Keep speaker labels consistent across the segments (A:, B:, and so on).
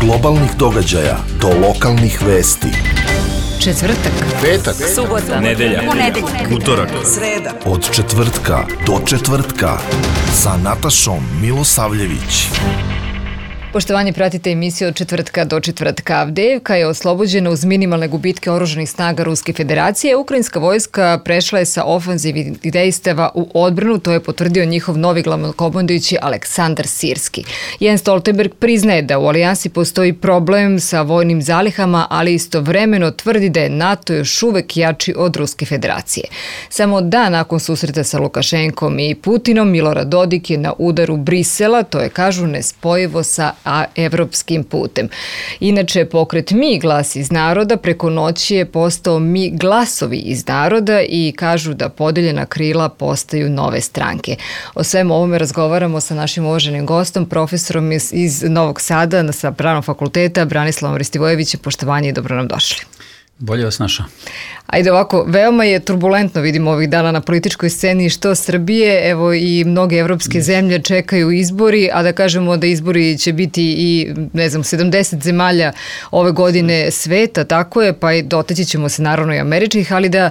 A: globalnih događaja do lokalnih vesti.
B: Četvrtak,
A: Petak,
B: subota,
C: nedelja, utorak,
B: sreda.
A: od četvrtka do četvrtka sa Natašom Milosavljević.
B: Poštovanje, pratite emisiju od četvrtka do četvrtka. Avdijevka je oslobođena uz minimalne gubitke oružanih snaga Ruske federacije. Ukrajinska vojska prešla je sa ofanzivnih dejstava u odbranu, to je potvrdio njihov novi glavnokomandujući Aleksandar Sirski. Jens Stoltenberg priznaje da u alijansi postoji problem sa vojnim zalihama, ali istovremeno tvrdi da je NATO još uvek jači od Ruske federacije. Samo dan nakon susreta sa Lukašenkom i Putinom, Milorad Dodik je na udaru Brisela, to je, kažu, nespojivo sa evropskim putem. Inače, pokret Mi glas iz naroda preko noći je postao Mi glasovi iz naroda i kažu da podeljena krila postaju nove stranke. O svemu ovome razgovaramo sa našim uvaženim gostom, profesorom iz Novog Sada sa Pravnog fakulteta, Branislavom Ristivojevićem. Poštovanje i dobro nam došli.
C: Bolje vas našao.
B: Ajde ovako, veoma je turbulentno, vidimo ovih dana na političkoj sceni što Srbije, evo i mnoge evropske zemlje čekaju izbori, a da kažemo da izbori će biti i, 70 zemalja ove godine sveta, tako je, pa i doteći ćemo se naravno i američkih, ali da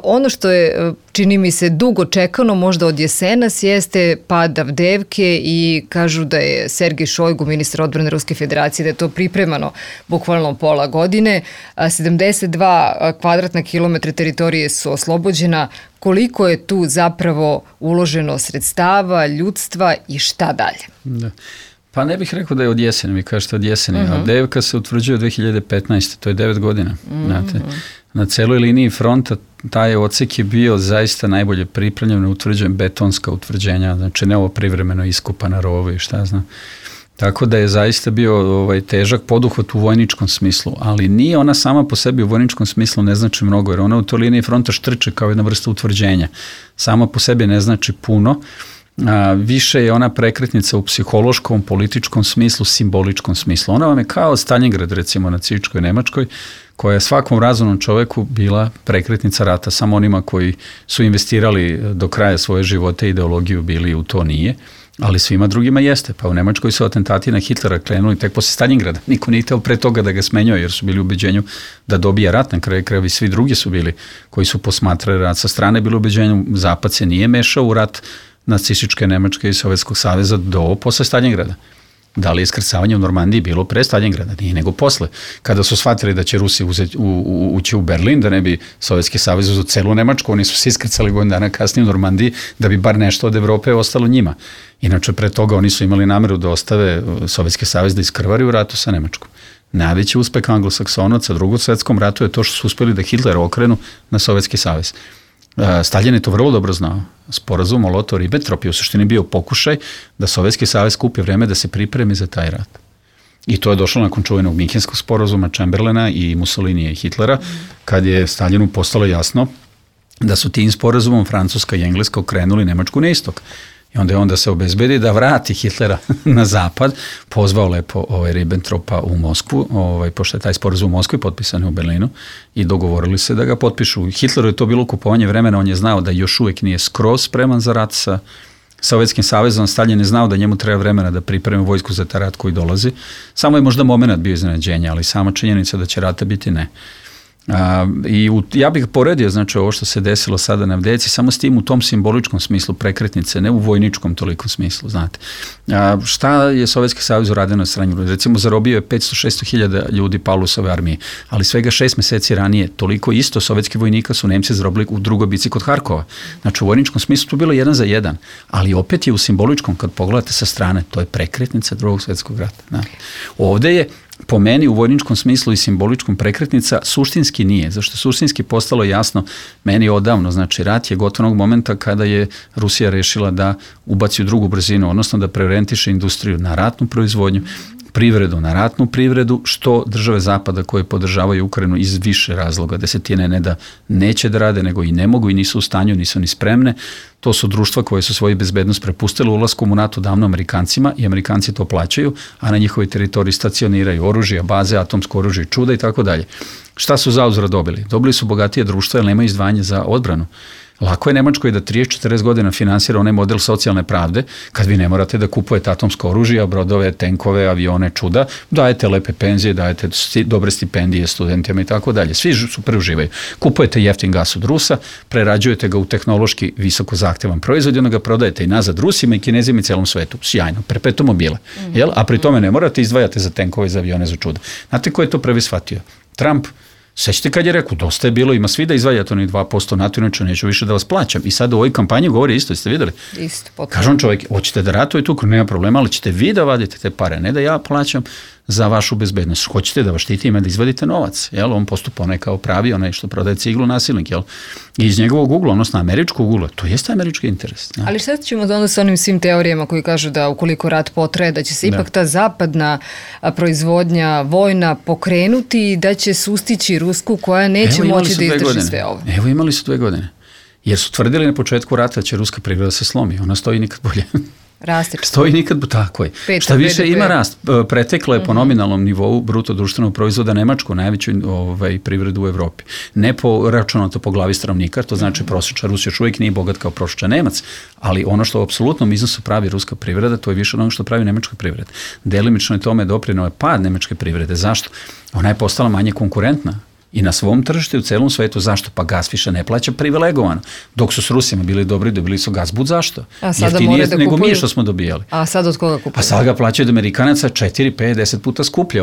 B: ono što je, čini mi se, dugo čekano, možda od jesenas, jeste pad Avdijevke i kažu da je Sergej Šojgu, ministar odbrane Ruske federacije, da je to pripremano bukvalno pola godine. 72 kvadratna kilometra teritorije su oslobođena. Koliko je tu zapravo uloženo sredstava, ljudstva i šta dalje?
C: Da. Pa ne bih rekao da je od jeseni, vi kažete od jeseni. Avdijevka se utvrđuje 2015. To je 9 godina. Znate, na celoj liniji fronta taj odsek je bio zaista najbolje pripremljen, utvrđen betonska utvrđenja, znači ne ovo privremeno iskopana rovo i šta znam. Tako da je zaista bio težak poduhvat u vojničkom smislu, ali nije ona sama po sebi u vojničkom smislu ne znači mnogo, jer ona u toj liniji fronta štrče kao jedna vrsta utvrđenja. Sama po sebi ne znači puno, više je ona prekretnica u psihološkom, političkom smislu, simboličkom smislu. Ona vam je kao Stalingrad, recimo, na nacističkoj Nemačkoj, koja je svakom razumnom čoveku bila prekretnica rata, samo onima koji su investirali do kraja svoje živote ideologiju bili u to nije, ali svima drugima jeste. Pa u Nemačkoj su atentati na Hitlera krenuli tek posle Stalingrada. Niko nije hteo pre toga da ga smenjuje, jer su bili u ubeđenju da dobija rat, na kraju krajeva i svi drugi su bili koji su posmatrali rat sa strane, bili u ubeđenju Zapad se nije mešao u rat nacističke Nemačke i Sovjetskog saveza do posle Stalingrada. Da li je iskrcavanje u Normandiji bilo pre Stalingrada? Nije, nego posle. Kada su shvatili da će Rusi ući u Berlin, da ne bi Sovjetski savez uzeo celu Nemačku, oni su se iskrcali godinu dana kasnije u Normandiji da bi bar nešto od Evrope ostalo njima. Inače, pre toga oni su imali nameru da ostave Sovjetski savez da iskrvari u ratu sa Nemačkom. Najveći uspeh Anglosaksonaca u Drugom svetskom ratu je to što su uspeli da Hitlera okrenu na Sovjetski savez. Stalin je to vrlo dobro znao. Sporazum Molotov-Ribbentrop je u suštini bio pokušaj da Sovjetski savez kupi vreme da se pripremi za taj rat. I to je došlo nakon čuvenog Minhenskog sporazuma Chamberlaina i Mussolinija i Hitlera, kad je Stalinu postalo jasno da su tim sporazumom Francuska i Engleska okrenuli Nemačku na istok. I onda je on da se obezbedi da vrati Hitlera na zapad, pozvao lepo Ribbentropa u Moskvu, pošto je taj sporazum u Moskvi potpisan u Berlinu, i dogovorili se da ga potpišu. Hitleru je to bilo kupovanje vremena, on je znao da još uvijek nije skroz spreman za rat sa Sovjetskim savezom. Stalin je znao da njemu treba vremena da pripremi vojsku za taj rat koji dolazi. Samo je možda moment bio iznenađenja, ali sama činjenica da će rata biti ne. Ja bih poredio, znači, ovo što se desilo sada na Avdijevci, samo s tim u tom simboličkom smislu prekretnice, ne u vojničkom tolikom smislu, znate. Šta je Sovjetski savez uradio na strani? Recimo, zarobio je 500-600 hiljada ljudi Paulusove armije, ali svega 6 meseci ranije toliko isto sovjetski vojnika su Nemci zarobili u drugoj bici kod Harkova. Znači, u vojničkom smislu to bilo 1 za 1, ali opet je u simboličkom, kad pogledate sa strane, to je prekretnica Drugog svjetskog rata. Znate. Ovde je po meni u vojničkom smislu i simboličkom prekretnica, suštinski nije. Zašto suštinski postalo jasno meni odavno, znači rat je gotovog momenta kada je Rusija rešila da ubaci u drugu brzinu, odnosno da preorijentiše industriju na ratnu proizvodnju, privredu na ratnu privredu, što države Zapada koje podržavaju Ukrajinu iz više razloga, desetine, ne da neće da rade, nego i ne mogu i nisu u stanju, nisu ni spremne. To su društva koje su svoju bezbednost prepustile ulaskom u NATO davno Amerikancima i Amerikanci to plaćaju, a na njihovoj teritoriji stacioniraju oružje, baze, atomsko oružje, čuda i tako dalje. Šta su zauzvrat dobili? Dobili su bogatije društva jer nema izdvajanja za odbranu. Lako je Nemačkoj da 30-40 godina finansira onaj model socijalne pravde, kad vi ne morate da kupujete atomsko oružje, brodove, tenkove, avione, čuda, dajete lepe penzije, dajete dobre stipendije studentima i tako dalje. Svi super uživaju. Kupujete jeftin gas od Rusa, prerađujete ga u tehnološki visoko zahtevan proizvod i onda ga prodajete i nazad Rusima i Kinezima i celom svetu. Sjajno, perpetuum mobile. Jel? A pri tome ne morate izdvajate za tenkove i za avione za čuda. Znate ko je to prvi shvatio? Trump. Sećate kad je rekao, dosta je bilo, ima svi da izdvajate oni 2% NATO, inače neću više da vas plaćam. I sad u ovoj kampanji govori isto, jeste videli?
B: Isto, potpuno.
C: Kažem čovjek, hoćete da ratujete, nema problema, ali ćete vi da vadite te pare, ne da ja plaćam za vašu bezbednost. Hoćete da vas štitime, da izvadite novac. Jel? On postupa onaj kao pravi, onaj što prodaje ciglu nasilnik. Jel? I iz njegovog ugla, odnosno američkog ugla, to jeste američki interes. Ne?
B: Ali šta ćemo onda sa onim svim teorijama koji kažu da ukoliko rat potraje, da će se ipak ta zapadna proizvodnja vojna pokrenuti i da će sustići Rusku koja neće moći da izdrži sve ovo.
C: Evo imali su 2 godine. Jer su tvrdili na početku rata da će ruska privreda se slomi. Ona stoji nikad bolje.
B: Raste.
C: Stoji nikad, tako je. Šta više ima rast. Pretekla je po nominalnom nivou bruto društvenog proizvoda Nemačku, najveću privredu u Evropi. Ne po računato po glavi stanovnika, to znači prosječan Rus još uvijek nije bogat kao prosječan Nemac, ali ono što u apsolutnom iznosu pravi ruska privreda, to je više od onog što pravi nemačka privreda. Delimično je tome doprineo je pad nemačke privrede. Zašto? Ona je postala manje konkurentna. I na svom tržištu u celom svetu. Zašto? Pa gas više ne plaća privilegovano. Dok su s Rusima bili dobri, dobili su gas bud zašto? Jeftinije nego mi što smo dobijali.
B: A sad od koga kupuju?
C: A sad ga plaćaju od Amerikanaca 4, 5, 10 puta skuplje.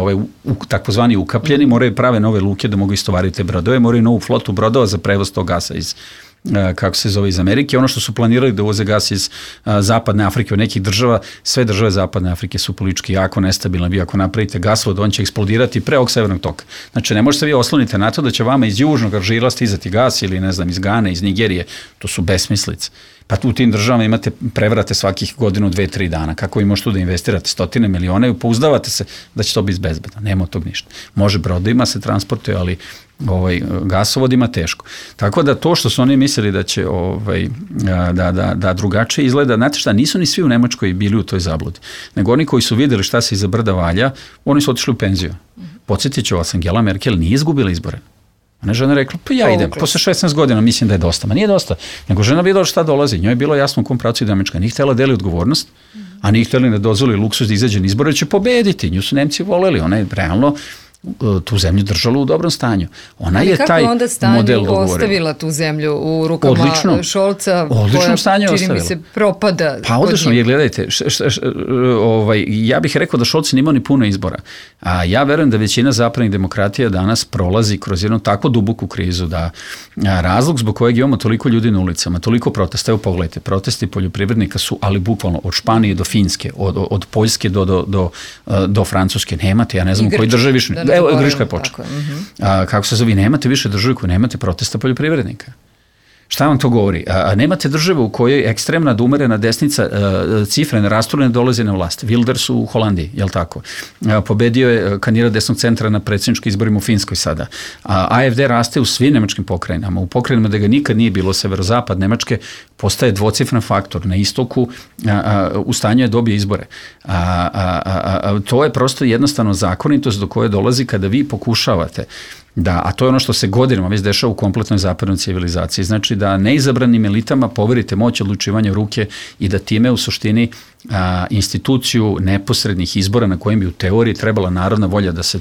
C: Takozvani ukapljeni moraju prave nove luke da mogu istovariti te brodove, moraju novu flotu brodova za prevoz tog gasa iz iz Amerike. Ono što su planirali da uvoze gas iz zapadne Afrike od nekih država, sve države zapadne Afrike su politički jako nestabilne. Vi ako napravite gasvod, on će eksplodirati pre ovog severnog toka. Znači, ne možete vi osloniti na to da će vama iz južnog Alžira stizati gas ili, ne znam, iz Gane, iz Nigerije. To su besmislice. Pa u tim državama imate prevrate svakih godinu, 2-3 dana. Kako vi možete tu da investirate 100 miliona i pouzdavate se da će to biti bezbedno. Nema od tog ništa. Može brodovima se transportuje, ali gasovodima teško. Tako da to što su oni mislili da će da drugačije izgleda, znate šta, nisu ni svi u Nemačkoj bili u toj zabludi. Nego oni koji su vidjeli šta se iza brda valja, oni su otišli u penziju. Podsjetit ću vas, Angela Merkel nije izgubila izbore. Ona je žena rekla, pa ja idem, posle 16 godina mislim da je dosta. Ma nije dosta, nego žena vidjela šta dolazi. Njoj je bilo jasno u kom pravcu ide Nemačka. Nije htjela deli odgovornost, a nije htjeli da dozvoli luksuz da izađe na izbore, će pobediti. Nju su Nemci voleli, ona je realno tu zemlju držala u dobrom stanju. Ona je taj model dogovorila. Ali kako onda stanju
B: ostavila tu zemlju u rukama Šolca,
C: koja
B: čini mi se propada?
C: Pa odlično, jer gledajte, ja bih rekao da Šolc nije imao ni puno izbora. A ja verujem da većina zapadnih demokratija danas prolazi kroz jednu tako duboku krizu da razlog zbog kojeg imamo toliko ljudi na ulicama, toliko protesta, evo pogledajte, protesti poljoprivrednika su, ali bukvalno od Španije do Finske, od Poljske do Francuske, nemate, ja ne znam u kojoj državi više. Evo, Grčka je počela. Kako se zove, nemate više države koje nemate protesta poljoprivrednika. Šta vam to govori? Nemate države u kojoj ekstremna da umerena desnica cifre ne rastu, ne dolaze na vlast. Wilders u Holandiji, jel tako? Pobedio je kandidat desnog centra na predsjedničkim izborima u Finskoj sada. AfD raste u svim nemačkim pokrajinama. U pokrajinama da ga nikad nije bilo, severozapad Nemačke postaje dvocifran faktor. Na istoku u stanju je dobije izbore. To je prosto jednostavno zakonitost do koje dolazi kada vi pokušavate da, a to je ono što se godinama već dešava u kompletnoj zapadnoj civilizaciji. Znači da neizabranim elitama poverite moć odlučivanja ruke i da time u suštini instituciju neposrednih izbora na kojim bi u teoriji trebala narodna volja da se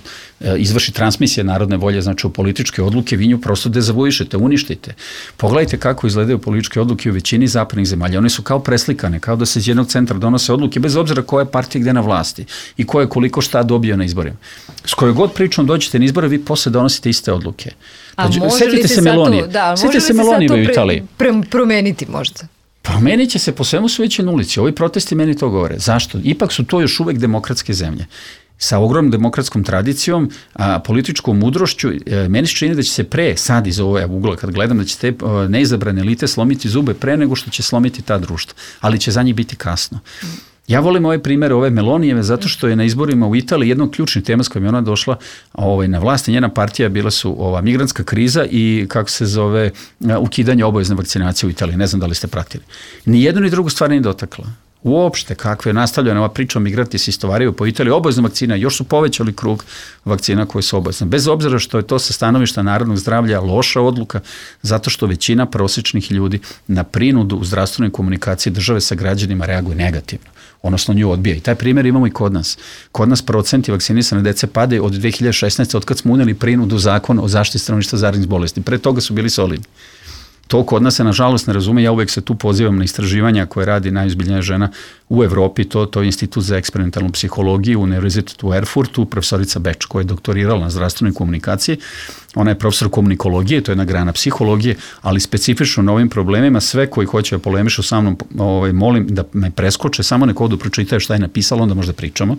C: izvrši transmisija narodne volje, znači u političke odluke, vi nju prosto dezavuišete, uništite. Pogledajte kako izgledaju političke odluke u većini zapadnih zemalja. One su kao preslikane, kao da se iz jednog centra donose odluke, bez obzira koja je partija gde na vlasti i ko je koliko šta dobio na izborima. S kojoj god pričom dođete na izbore, vi posle donosite iste odluke. Sjetite se Melonije. Sjetite se Melonije u Italiji.
B: Promeniti možda?
C: Promenit će se, po svemu su već na ulici. Ovi protesti meni to govore. Zašto? Ipak su to još uvek demokratske zemlje. Sa ogromnom demokratskom tradicijom, političkom mudrošću, meni se čini da će se pre, sad iz ove ugla kad gledam, da će te neizabrane elite slomiti zube pre nego što će slomiti ta društva. Ali će za njih biti kasno. Ja volim ove primere, ove Melonijeve, zato što je na izborima u Italiji jedno od ključnih tema s kojim je ona došla na vlast i njena partija bila su migrantska kriza i kako se zove ukidanje obavezne vakcinacije u Italiji. Ne znam da li ste pratili. Ni jednu ni drugu stvar nije dotakla. Uopšte, kakve je nastavljena ova priča o migranti se istovaraju po Italiji, obavezna vakcina, još su povećali krug vakcina koje su obavezne. Bez obzira što je to sa stanovišta narodnog zdravlja loša odluka, zato što većina prosječnih ljudi na prinudu u zdravstvenoj komunikaciji države sa građanima reaguje negativno, odnosno nju odbija. I taj primjer imamo i kod nas. Kod nas procenti vakcinisane dece padaju od 2016. od kad smo uneli prinudu zakon o zaštiti stanovništva zaraznih bolesti. Pre toga su bili solidni. To kod nas se nažalost ne razume, ja uvek se tu pozivam na istraživanja koje radi najozbiljnija žena u Evropi, to je Institut za eksperimentalnu psihologiju u Univerzitetu u Erfurtu, profesorica Beč koja je doktorirala na zdravstvenoj komunikaciji, ona je profesor komunikologije, to je jedna grana psihologije, ali specifično na ovim problemima, sve koji hoće da polemišu sa mnom, molim da me preskoče, samo neko odu pročitaju šta je napisalo, onda možda pričamo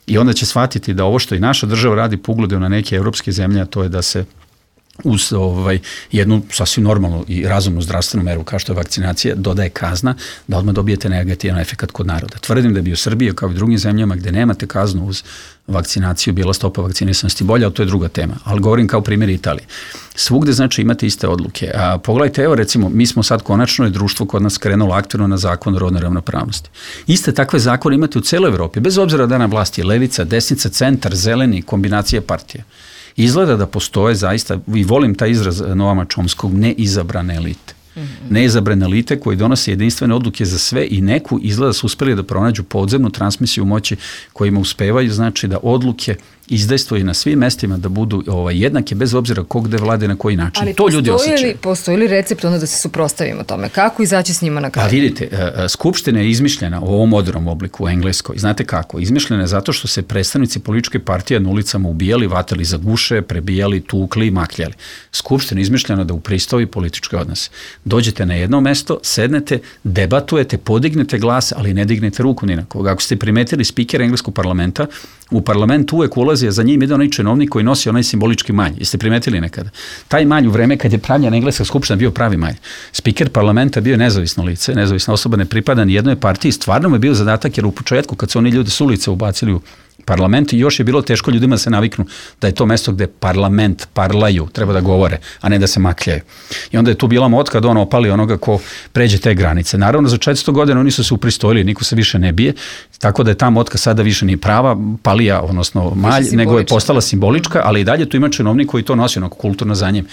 C: i onda će shvatiti da ovo što i naša država radi po ugledu na neke evropske zemlje, a to je da se uz jednu sasvim normalnu i razumnu zdravstvenu meru kao što je vakcinacija dodaje kazna da odmah dobijete negativan efekat kod naroda. Tvrdim da bi u Srbiji kao i u drugim zemljama gde nemate kaznu uz vakcinaciju bila stopa vakcinisanosti bolja, ali to je druga tema. Ali govorim kao primjer Italije. Svugde znači imate iste odluke. A pogledajte, evo recimo, mi smo sad konačno je društvo kod nas krenulo aktivno na zakon o rodnoj ravnopravnosti. Iste takve zakone imate u celoj Evropi, bez obzira da na vlasti je levica, desnica, centar, zeleni, kombinacija partija. Izgleda da postoje zaista, i volim taj izraz Noama Chomskog, neizabrane elite. Neizabrane elite koji donose jedinstvene odluke za sve i neku izgleda su uspeli da pronađu podzemnu transmisiju moći kojima uspevaju, znači da odluke izdejstvuju na svim mestima da budu jednake bez obzira ko gde vlade na koji način.
B: Ali
C: to ljudi osjećaju.
B: Postoji li recept onda da se suprotstavimo tome? Kako izaći s njima na kraju?
C: Pa vidite, Skupština je izmišljena u ovom modernom obliku u Engleskoj. Znate kako? Izmišljena je zato što se predstavnici političke partije na ulicama ubijali, vatali za guše, prebijali, tukli i makljali. Skupština je izmišljena da upristoji političke odnose. Dođete na jedno mesto, sednete, debatujete, podignete glas, ali ne dignete ruku ni na koga. Ako ste primetili spiker engleskog parlamenta, u parlament uvek ulazi, a za njim ide onaj činovnik koji nosi onaj simbolički malj. Jeste primetili nekada? Taj malj u vreme kad je pravljena engleska skupština bio pravi malj. Spiker parlamenta bio nezavisno lice, nezavisna osoba, ne pripada ni jednoj partiji. Stvarno mu je bio zadatak jer u početku kad su oni ljudi s ulice ubacili u parlament i još je bilo teško ljudima da se naviknu da je to mesto gde parlament parlaju, treba da govore, a ne da se makljaju. I onda je tu bila motka da on opali onoga ko pređe te granice. Naravno, za 400 godina oni su se upristojili, niko se više ne bije, tako da je ta motka sada više nije prava, palija, odnosno malj, nego je postala simbolička, ali i dalje tu ima činovnik koji to nosi onako kulturno za njim.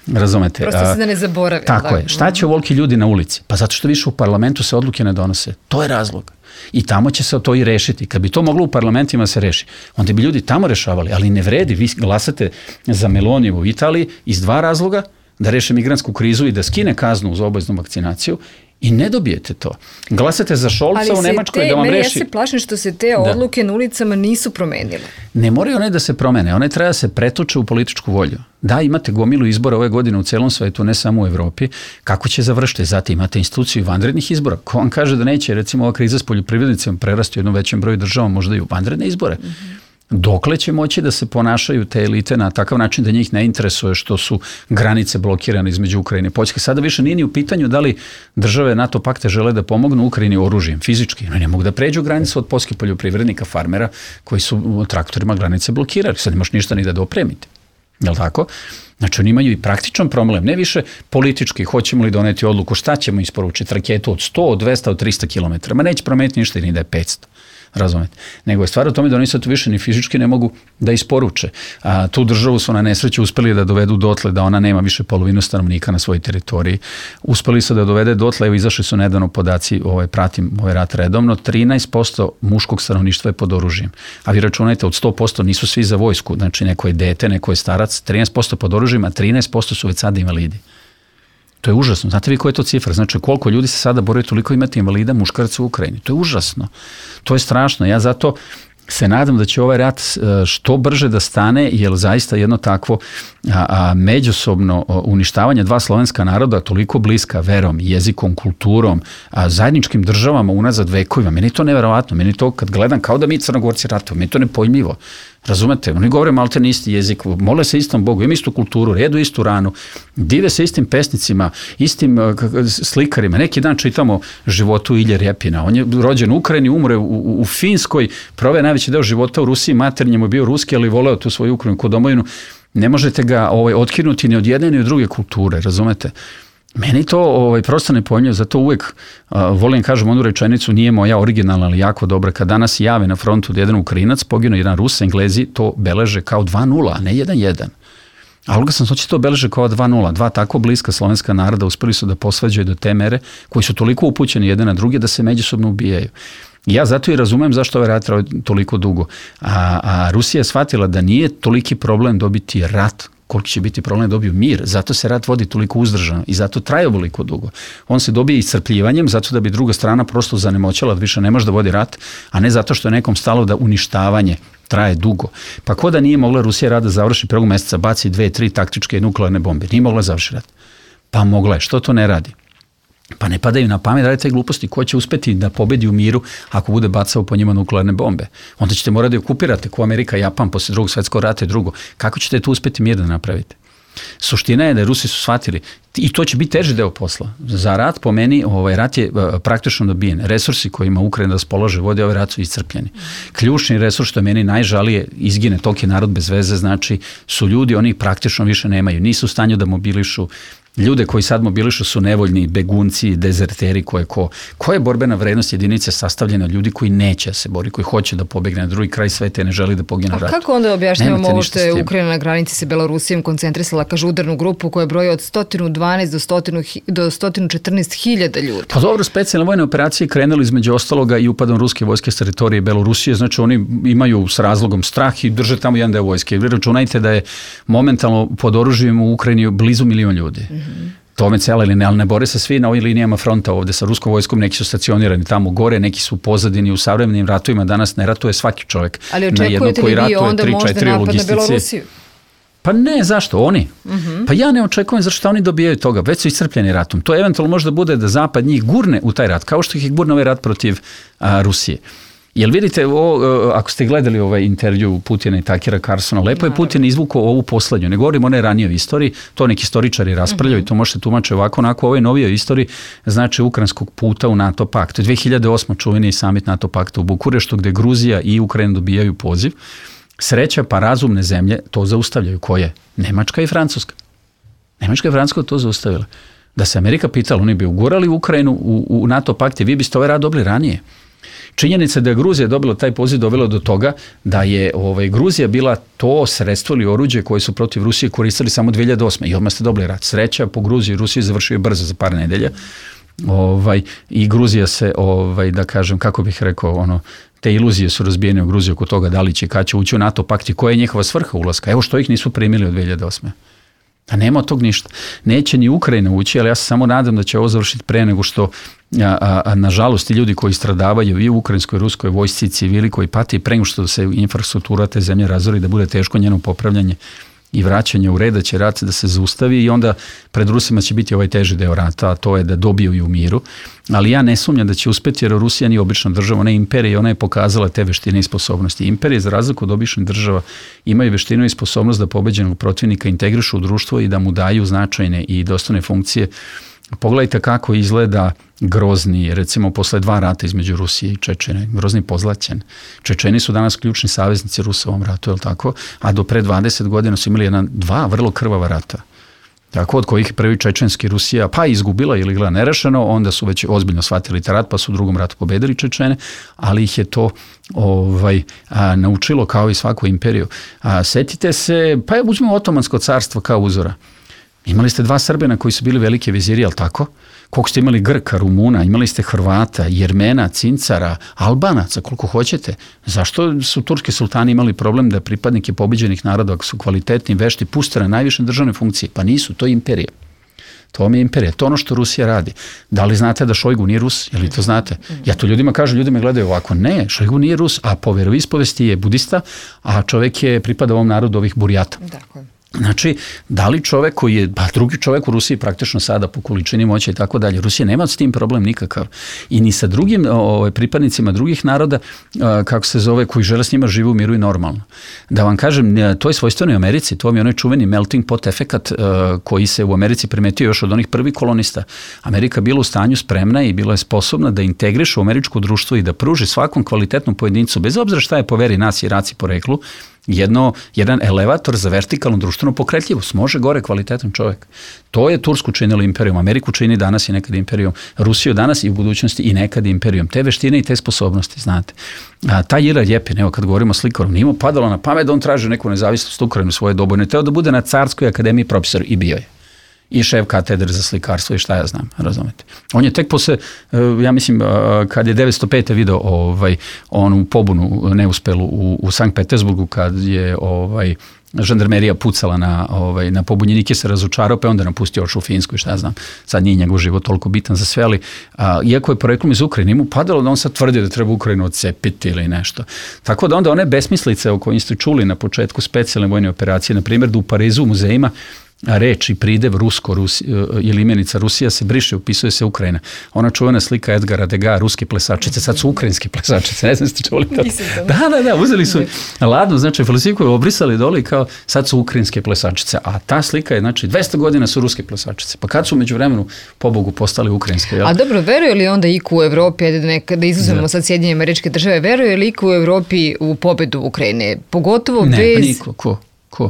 C: Razumete?
B: Prosto se da ne zaboravi.
C: Tako je. Šta će ovoliki ljudi na ulici? Pa zato što više u parlamentu se odluke ne donose. To je razlog. I tamo će se to i rešiti. Kad bi to moglo u parlamentima se reši, onda bi ljudi tamo rešavali, ali ne vredi. Vi glasate za Meloniju u Italiji iz dva razloga, da reše migrantsku krizu i da skine kaznu za obaveznu vakcinaciju i ne dobijete to. Glasate za Šolca u Nemačkoj da vam reši...
B: Ja se plašim što se te odluke na ulicama nisu promenile.
C: Ne moraju one da se promene, one treba da se pretoče u političku volju. Da, imate gomilu izbora ove godine u celom svetu, ne samo u Evropi. Kako će završiti? Zatim imate instituciju vanrednih izbora. Ko vam kaže da neće, recimo, ova kriza s poljoprivrednicima prerasti u jednom većem broju država, možda i u vanredne izbore? Dokle će moći da se ponašaju te elite na takav način da njih ne interesuje što su granice blokirane između Ukrajine i Poljske? Sada više nije ni u pitanju da li države NATO pakta žele da pomognu Ukrajini oružjem, fizički. Ne mogu da pređu granicu od poljskih poljoprivrednika, farmera koji su traktorima granice blokirali. Sad ne možeš ništa ni da dopremite. Je li tako? Znači oni imaju i praktičan problem, ne više politički, hoćemo li doneti odluku, šta ćemo isporučiti, raketu od 100, od 200, od 300 km, ma neće promeniti ništa ni da je 500. Razumete? Nego je stvar u tome da oni sad tu više ni fizički ne mogu da isporuče. Tu državu su na nesreću uspeli da dovedu dotle da ona nema više polovinu stanovnika na svojoj teritoriji. Uspeli su da dovede dotle, evo izašli su nedavno podaci, pratim ovaj rat redovno, 13% muškog stanovništva je pod oružjem. A vi računajte, od 100% nisu svi za vojsku, znači neko je dete, neko je starac, 13% pod oružjem, a 13% su već sada invalidi. To je užasno. Znate vi koja je to cifra? Znači koliko ljudi se sada bore, toliko imati invalida muškaraca u Ukrajini. To je užasno. To je strašno. Ja zato se nadam da će ovaj rat što brže da stane, jer zaista jedno takvo međusobno uništavanje dva slovenska naroda toliko bliska verom, jezikom, kulturom, zajedničkim državama unazad vekovima. Meni je to neverovatno. Meni je to kad gledam kao da mi Crnogorci ratuju. Meni je to nepojmljivo. Razumete? Oni govore malte na isti jezik, mole se istom Bogu, imaju istu kulturu, jedu istu ranu, dive se istim pesnicima, istim slikarima. Neki dan čitamo životu Ilje Repina. On je rođen u Ukrajini, umre u Finskoj, proveo najveći deo života u Rusiji, maternje mu je bio ruski, ali voleo tu svoju Ukrajinu kod domovinu. Ne možete ga otkinuti ni od jedne ni od druge kulture, razumete? Meni to prosto ne pojmljivo, zato uvek volim kažem onu rečenicu, nije moja originalna, ali jako dobra. Kad danas jave na frontu da jedan Ukrajinac poginuo, jedan Rus, Englezi to beleže kao 2-0, a ne 1-1. A Olga sam to beleže kao 2-0. Dva tako bliska slovenska naroda uspeli su da posvađaju do te mere, koji su toliko upućeni jedan na druge da se međusobno ubijaju. Ja zato i razumem zašto ovaj rat traje toliko dugo. A Rusija je shvatila da nije toliki problem dobiti rat, koliko će biti problem da dobiju mir. Zato se rat vodi toliko uzdržano i zato traje ovoliko dugo. On se dobije iscrpljivanjem zato da bi druga strana prosto zanemoćala da više ne može da vodi rat, a ne zato što je nekom stalo da uništavanje traje dugo. Pa ko da nije mogla Rusija rat da završi 1. meseca, baci 2-3 taktičke nuklearne bombe. Nije mogla završiti rat. Pa mogla je. Što to ne radi? Pa ne padaju na pamet, radite gluposti. Ko će uspeti da pobedi u miru ako bude bacao po njima nuklearne bombe? Onda ćete morati da okupirate ko Amerika, Japan posle drugog svetskog rata i drugo. Kako ćete tu uspeti mir da napravite? Suština je da Rusi su shvatili i to će biti teži deo posla. Za rat, po meni, rat je praktično dobijen. Resursi kojima Ukrajina raspolaže vodi ovaj rat su iscrpljeni. Ključni resurs što je meni najžalije izgine toliki narod bez veze, znači su ljudi, oni praktično više nemaju. Nisu u stanju da mobilišu. Ljude koji sad mobilišu su nevoljni, begunci, dezerteri, koja je borbena vrednost jedinice sastavljena od ljudi koji neće se bori, koji hoće da pobegne na drugi kraj sveta i ne želi da pogine u ratu.
B: A kako onda objašnjavamo ovo što je Ukrajina na granici sa Belorusijom koncentrisala, kaže, udarnu grupu koja broji od 112 do 114 hiljada ljudi? Pa
C: dobro, specijalne vojne operacije krenuli između ostaloga i upadom ruske vojske s teritorije Belorusije, znači oni imaju s razlogom strah i drže tamo jedan deo vojske. Vi računajte da je momentalno pod oružjem u Ukrajini blizu 1 milion ljudi. Tome cela ili ne, ali ne bore se svi na ovim linijama fronta ovde sa ruskom vojskom, neki su stacionirani tamo gore, neki su u pozadini u savremenim ratovima, danas ne ratuje svaki čovjek.
B: Ali očekujete li vi onda možda napad na Belorusiju?
C: Pa ne, zašto? Oni. Pa ja ne očekujem zašto oni dobijaju toga, već su iscrpljeni ratom. To eventualno može da bude da Zapad njih gurne u taj rat, kao što ih gurne ovaj rat protiv Rusije. Jel vidite, ako ste gledali ovaj intervju Putina i Takera Carsona, lepo je Putin izvukao ovu poslednju. Ne govorim o ne ranijoj istoriji, to neki istoričari raspravljaju i to možete tumačiti ovako, onako, ovoj novijoj istoriji, znači ukrajinskog puta u NATO pakt. 2008. čuveni samit NATO pakta u Bukureštu, gde Gruzija i Ukrajina dobijaju poziv. Sreća pa razumne zemlje to zaustavljaju. Koje? Nemačka i Francuska. Nemačka i Francuska to zaustavila. Da se Amerika pitala, oni bi ugurali Ukrajinu u NATO pakt i vi biste ovaj rad dobili ranije. Činjenica da je Gruzija dobila taj poziv dovelo do toga da je Gruzija bila to sredstvo ili oruđe koje su protiv Rusije koristili samo 2008. I odmah ste dobili rat. Sreća po Gruziji i Rusiji završio je brzo za par nedelja. I Gruzija se, da kažem, kako bih rekao, te iluzije su razbijene u Gruziji oko toga da li će kad će ući u NATO pakt i koja je njihova svrha ulaska. Evo što ih nisu primili od 2008. A nema od tog ništa. Neće ni Ukrajina ući, ali ja se samo nadam da će ovo završiti pre nego što, nažalost, i ljudi koji stradavaju i u ukrajinskoj, ruskoj vojsci, civili koji pati, pre nego što se infrastruktura te zemlje razori, da bude teško njeno popravljanje i vraćanje u red, da će rat da se zaustavi i onda pred Rusima će biti ovaj teži deo rata, a to je da dobiju i u miru. Ali ja ne sumnjam da će uspeti jer Rusija nije obična država, ona je imperija i ona je pokazala te veštine i sposobnosti. Imperije, za razliku od običnih država, imaju veštinu i sposobnost da pobeđenog protivnika integrišu u društvo i da mu daju značajne i dostojne funkcije. Pogledajte kako izgleda Grozni, recimo posle 2 rata između Rusije i Čečene. Grozni pozlaćen. Čečeni su danas ključni saveznici Rusa u ovom ratu, je li tako? A do pre 20 godina su imali 2 vrlo krvava rata. Tako, od kojih prvi čečenski Rusija pa izgubila ili gleda nerešeno, onda su već ozbiljno shvatili taj rat, pa su u drugom ratu pobedili Čečene, ali ih je to naučilo kao i svaku imperiju. Setite se, pa uzmemo Otomansko carstvo kao uzora. Imali ste 2 Srbina koji su bili velike viziri, jel tako? Koliko ste imali Grka, Rumuna, imali ste Hrvata, Jermena, Cincara, Albanaca, koliko hoćete. Zašto su turski sultani imali problem da pripadnike pobeđenih naroda, ako su kvalitetni, vešti, puste na najviše državne funkcije? Pa nisu, to je imperija. To vam je imperija, to je ono što Rusija radi. Da li znate da Šojgu nije Rus? Je li to znate? Ja to ljudima kažem, ljudi me gledaju ovako. Ne, Šojgu nije Rus, a po veroispovesti je budista, a čovjek je pripada ovom narodu ovih Burjata.
B: Dakle.
C: Znači, da li čovek koji je, drugi čovek u Rusiji praktično sada po količini moći i tako dalje, Rusija nema s tim problem nikakav. I ni sa drugim pripadnicima drugih naroda, kako se zove, koji žele s njima žive u miru i normalno. Da vam kažem, to je svojstveno i u Americi, to vam je onaj čuveni melting pot efekat koji se u Americi primetio još od onih prvih kolonista. Amerika bila u stanju spremna i bila je sposobna da integriše u američko društvo i da pruži svakom kvalitetnom pojedincu, bez obzira šta je po veri, naciji, raci, poreklu, jedan elevator za vertikalnu društvenu pokretljivost. Može gore kvalitetan čovjek. To je Tursku činilo imperijom, Ameriku čini danas i nekad imperijom, Rusiju danas i u budućnosti i nekad imperijom. Te veštine i te sposobnosti, znate. Taj Ila Ljepin, evo kad govorimo o slikaru, nije mu padalo na pamet da on traži neku nezavisnost Ukrajine u svoje dobu. Ne teo da bude na Carskoj akademiji profesor i bio je. I šef katedre za slikarstvo i šta ja znam, razumete. On je tek posle, ja mislim, kad je 905. video onu pobunu neuspelu u Sankt Petersburgu, kad je žandarmerija pucala na pobunjenike, se razočarao, pa onda napustio ošu u Finsku i šta ja znam. Sad nije njegov život toliko bitan za sve, ali iako je poreklom iz Ukrajine, mu padalo da on sad tvrdi da treba Ukrajinu odcepiti ili nešto. Tako da onda one besmislice o kojim ste čuli na početku specijalne vojne operacije, na primjer da u Parizu u muzejima reč i pridev rusko ili imenica Rusija se briše, upisuje se Ukrajina. Ona čuvena slika Edgara Degas, ruske plesačice, sad su ukrajinske plesačice, ne znam ste čuli to. Da, uzeli su ladno, znači falsifikuju, obrisali dole i kao sad su ukrajinske plesačice, a ta slika je, znači 200 godina su ruske plesačice, pa kad su među vremenu pobogu postali ukrajinske? Jel?
B: A dobro, veruje li onda iko u Evropi, da izuzmemo sad Sjedinjene Američke Države, veruje li iko u Evropi u pobedu Ukrajine? Pogotovo bez...
C: Ne, niko, ko?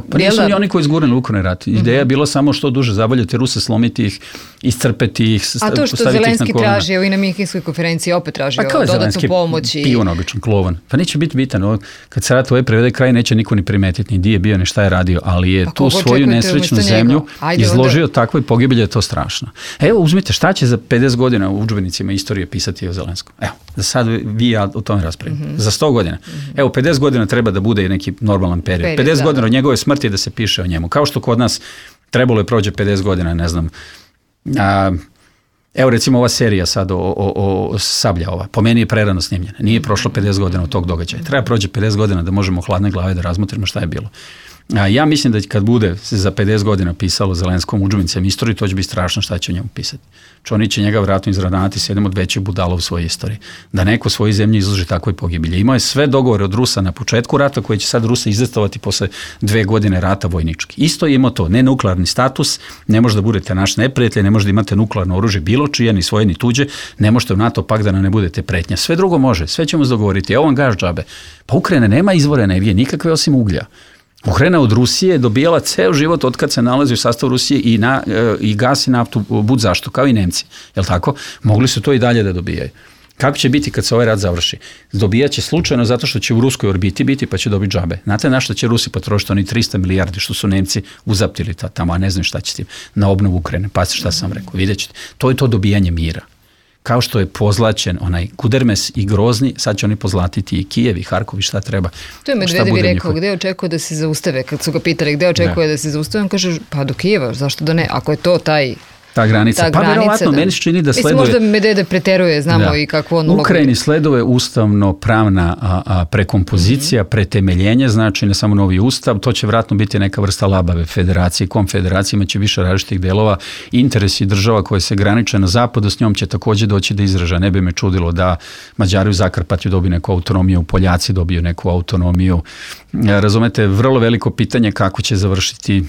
C: Pa nisu ni oni koji izgurili Ukrajini rat. Ideja je bila samo što duže zavaljati Ruse, slomiti ih, iscrpeti ih, postaviti ih na kolena.
B: A to što Zelenski traži, evo i na Minhenskoj konferenciji opet tražio dodatnu pomoć.
C: Pijun običan, klovan. Pa neće biti bitan. Kad se rat prevede kraj, neće niko ni primetiti, ni di je bio, ni šta je radio, ali je tu svoju nesrećnu zemlju izložio takvoj pogibelji, je to strašno. Evo, uzmite, šta će za 50 godina u udžbenicima istorije pisati o Zelenskom? Evo, za sad vi ja o tome raspravim. Za 100 godina. Evo, 50 godina treba da bude neki normalan period. 50 godina od njegove smrti da se piše o njemu. Kao što kod nas trebalo je prođe 50 godina, ne znam. Evo recimo ova serija sad o Sablja ova. Po meni je prerano snimljena. Nije prošlo 50 godina od tog događaja. Treba prođe 50 godina da možemo hladne glave da razmotrimo šta je bilo. Ja mislim da kad bude se za 50 godina pisalo Zelenskom udžbenicima istoriji, to će biti strašno šta će o njemu pisati. Oni će njega vratno izranati s jednom od većih budala u svojoj istoriji. Da neko svoje zemlje izloži takvoj pogibelji. Imao je sve dogovore od Rusa na početku rata koje će sad Rusa izdestovati posle 2 godine rata vojnički. Isto je imao to, ne nuklearni status, ne može da budete naš neprijatelj, ne može da imate nuklearno oružje bilo čije, ni svoje, ni tuđe, ne možete u NATO pakt da ne budete pretnja. Sve drugo može, sve ćemo dogovoriti. Evo vam gaš džabe. Pa Ukrajina nema izvore energije, nikakve osim uglja. Ukrajina od Rusije je dobijala ceo život od kad se nalazi u sastavu Rusije i gas i naftu bud zašto, kao i Nemci. Jel tako? Mogli su to i dalje da dobijaju. Kako će biti kad se ovaj rat završi? Dobijat će slučajno zato što će u ruskoj orbiti biti pa će dobiti džabe. Znate na što će Rusi potrošiti oni 300 milijardi što su Nemci uzaptili tamo, a ne znam šta će s tim, na obnovu Ukrajine. Pa šta sam rekao, vidjet ćete. To je to dobijanje mira. Kao što je pozlačen onaj Kudermes i Grozni, sad će oni pozlatiti i Kijev i Harkov i šta treba.
B: To je Medvedev rekao, gde očekuje da se zaustave? Kad su ga pitali gde očekuje da se zaustave, on kaže, pa do Kijeva, zašto da ne? Ako je to
C: ta granica. Pa verovatno meni se čini da sleduje...
B: Mislim, možda Medvedev preteruje, znamo i kakvu on ulogu.
C: Ukrajini sleduje ustavno-pravna prekompozicija, pretemeljenje, znači ne samo novi ustav, to će vjerojatno biti neka vrsta labave federacije, konfederacije, imaće više različitih delova, interesi država koje se graniče na zapadu, s njom će također doći do izražaja. Ne bi me čudilo da Mađari u Zakarpatju dobiju neku autonomiju, Poljaci dobiju neku autonomiju. Razumete, vrlo veliko pitanje kako će završiti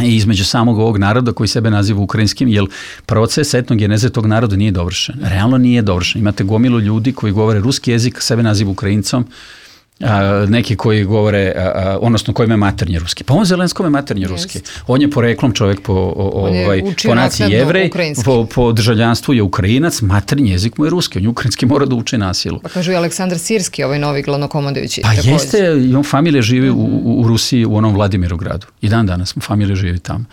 C: i između samog ovog naroda koji sebe naziva ukrajinskim, jer proces etnogeneze tog naroda nije dovršen. Realno nije dovršen. Imate gomilu ljudi koji govore ruski jezik, sebe naziva Ukrajincom, neki koji govore, odnosno koji ima maternji ruski. Pa on Zelenskome maternji ruski. On je poreklom čovjek po naciji Jevrej, po državljanstvu je Ukrajinac, maternji jezik mu je ruski. On je ukrajinski, mora da uči na silu.
B: Pa kažu i Aleksandar Sirski, ovaj novi glavnokomandujući.
C: Pa jeste, familija živi u Rusiji, u onom Vladimirogradu. I dan danas familija živi tamo.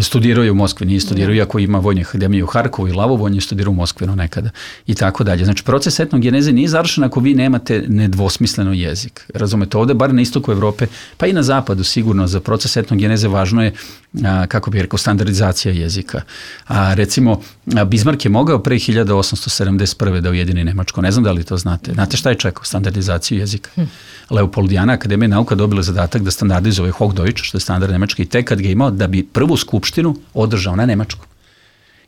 C: Studirao je u Moskvi, nije studirao, iako ima vojnu akademiju u Harkovu i Lavovu, on je studirao u Moskvi nekada i tako dalje. Znači, proces etnogeneze nije završen ako vi nemate nedvosmisleno jezik. Razumete, ovdje, bar na istoku Evrope, pa i na zapadu sigurno, za proces etnogeneze važno je, kako bih rekao, standardizacija jezika. Recimo, Bismarck je mogao pre 1871. da ujedini Nemačko. Ne znam da li to znate. Znate šta je čekao? Standardizaciju jezika. Leopoldijana akademija nauka dobila zadatak da standardizuje Hochdeutsch, što je standard nemački, i tek kad ga imao da bi prvu skupštinu održao na nemačkom.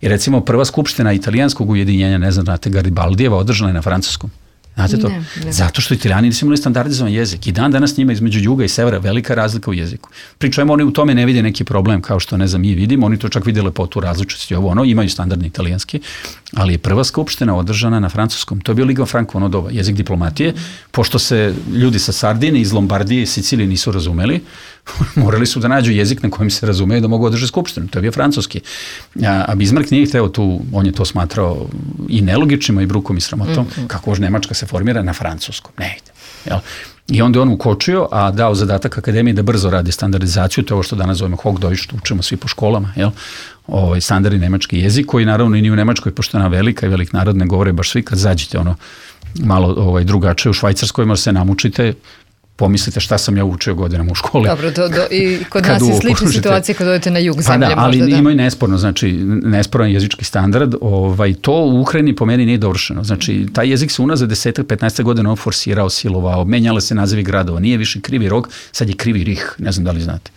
C: I recimo prva skupština italijanskog ujedinjenja, ne znam, znate, Garibaldijeva održana je na francuskom. Znate to?
B: Ne.
C: Zato što Italijani nisu imali standardizovan jezik. I dan danas njima između juga i severa velika razlika u jeziku. Pričujemo, oni u tome ne vide neki problem, kao što ne znam mi vidimo, oni to čak vide lepotu različitosti, imaju standardni italijanski, ali je prva skupština održana na francuskom. To je bio Liga Franco ono doba, jezik diplomatije, pošto se ljudi sa Sardine, iz Lombardije i Sicilije nisu razumeli, morali su da nađu jezik na kojem se razumeju da mogu održati skupštinu. To je bio francuski. A Bismarck nije hteo tu, on je to smatrao i nelogičnim, i brukom i sramotom, kako može Nemačka se formira na francuskom. Ne ide. Jel? I onda on ukočio, a dao zadatak akademiji da brzo radi standardizaciju, to je ovo što danas zovemo Hochdeutsch, što učimo svi po školama, jel? Standardni nemački jezik, koji naravno i nije u Nemačkoj, pošto je ona velika i velik narod, ne govore baš svi, kad zađete malo drugačije u Švajcarskoj, možda se namučite, pomislite šta sam ja učio godinama u školi.
B: Dobro, i kod nas je slična situacija kad odete na jug zemlje.
C: Pa da, ali ima i nesporno, znači nesporan jezički standard, to u Ukrajini po meni nije dovršeno. Znači, taj jezik se unazad 10-15 godina on forsirao, silovao, menjale se nazivi gradova, nije više Krivi Rog, sad je Krivi Rih, ne znam da li znate.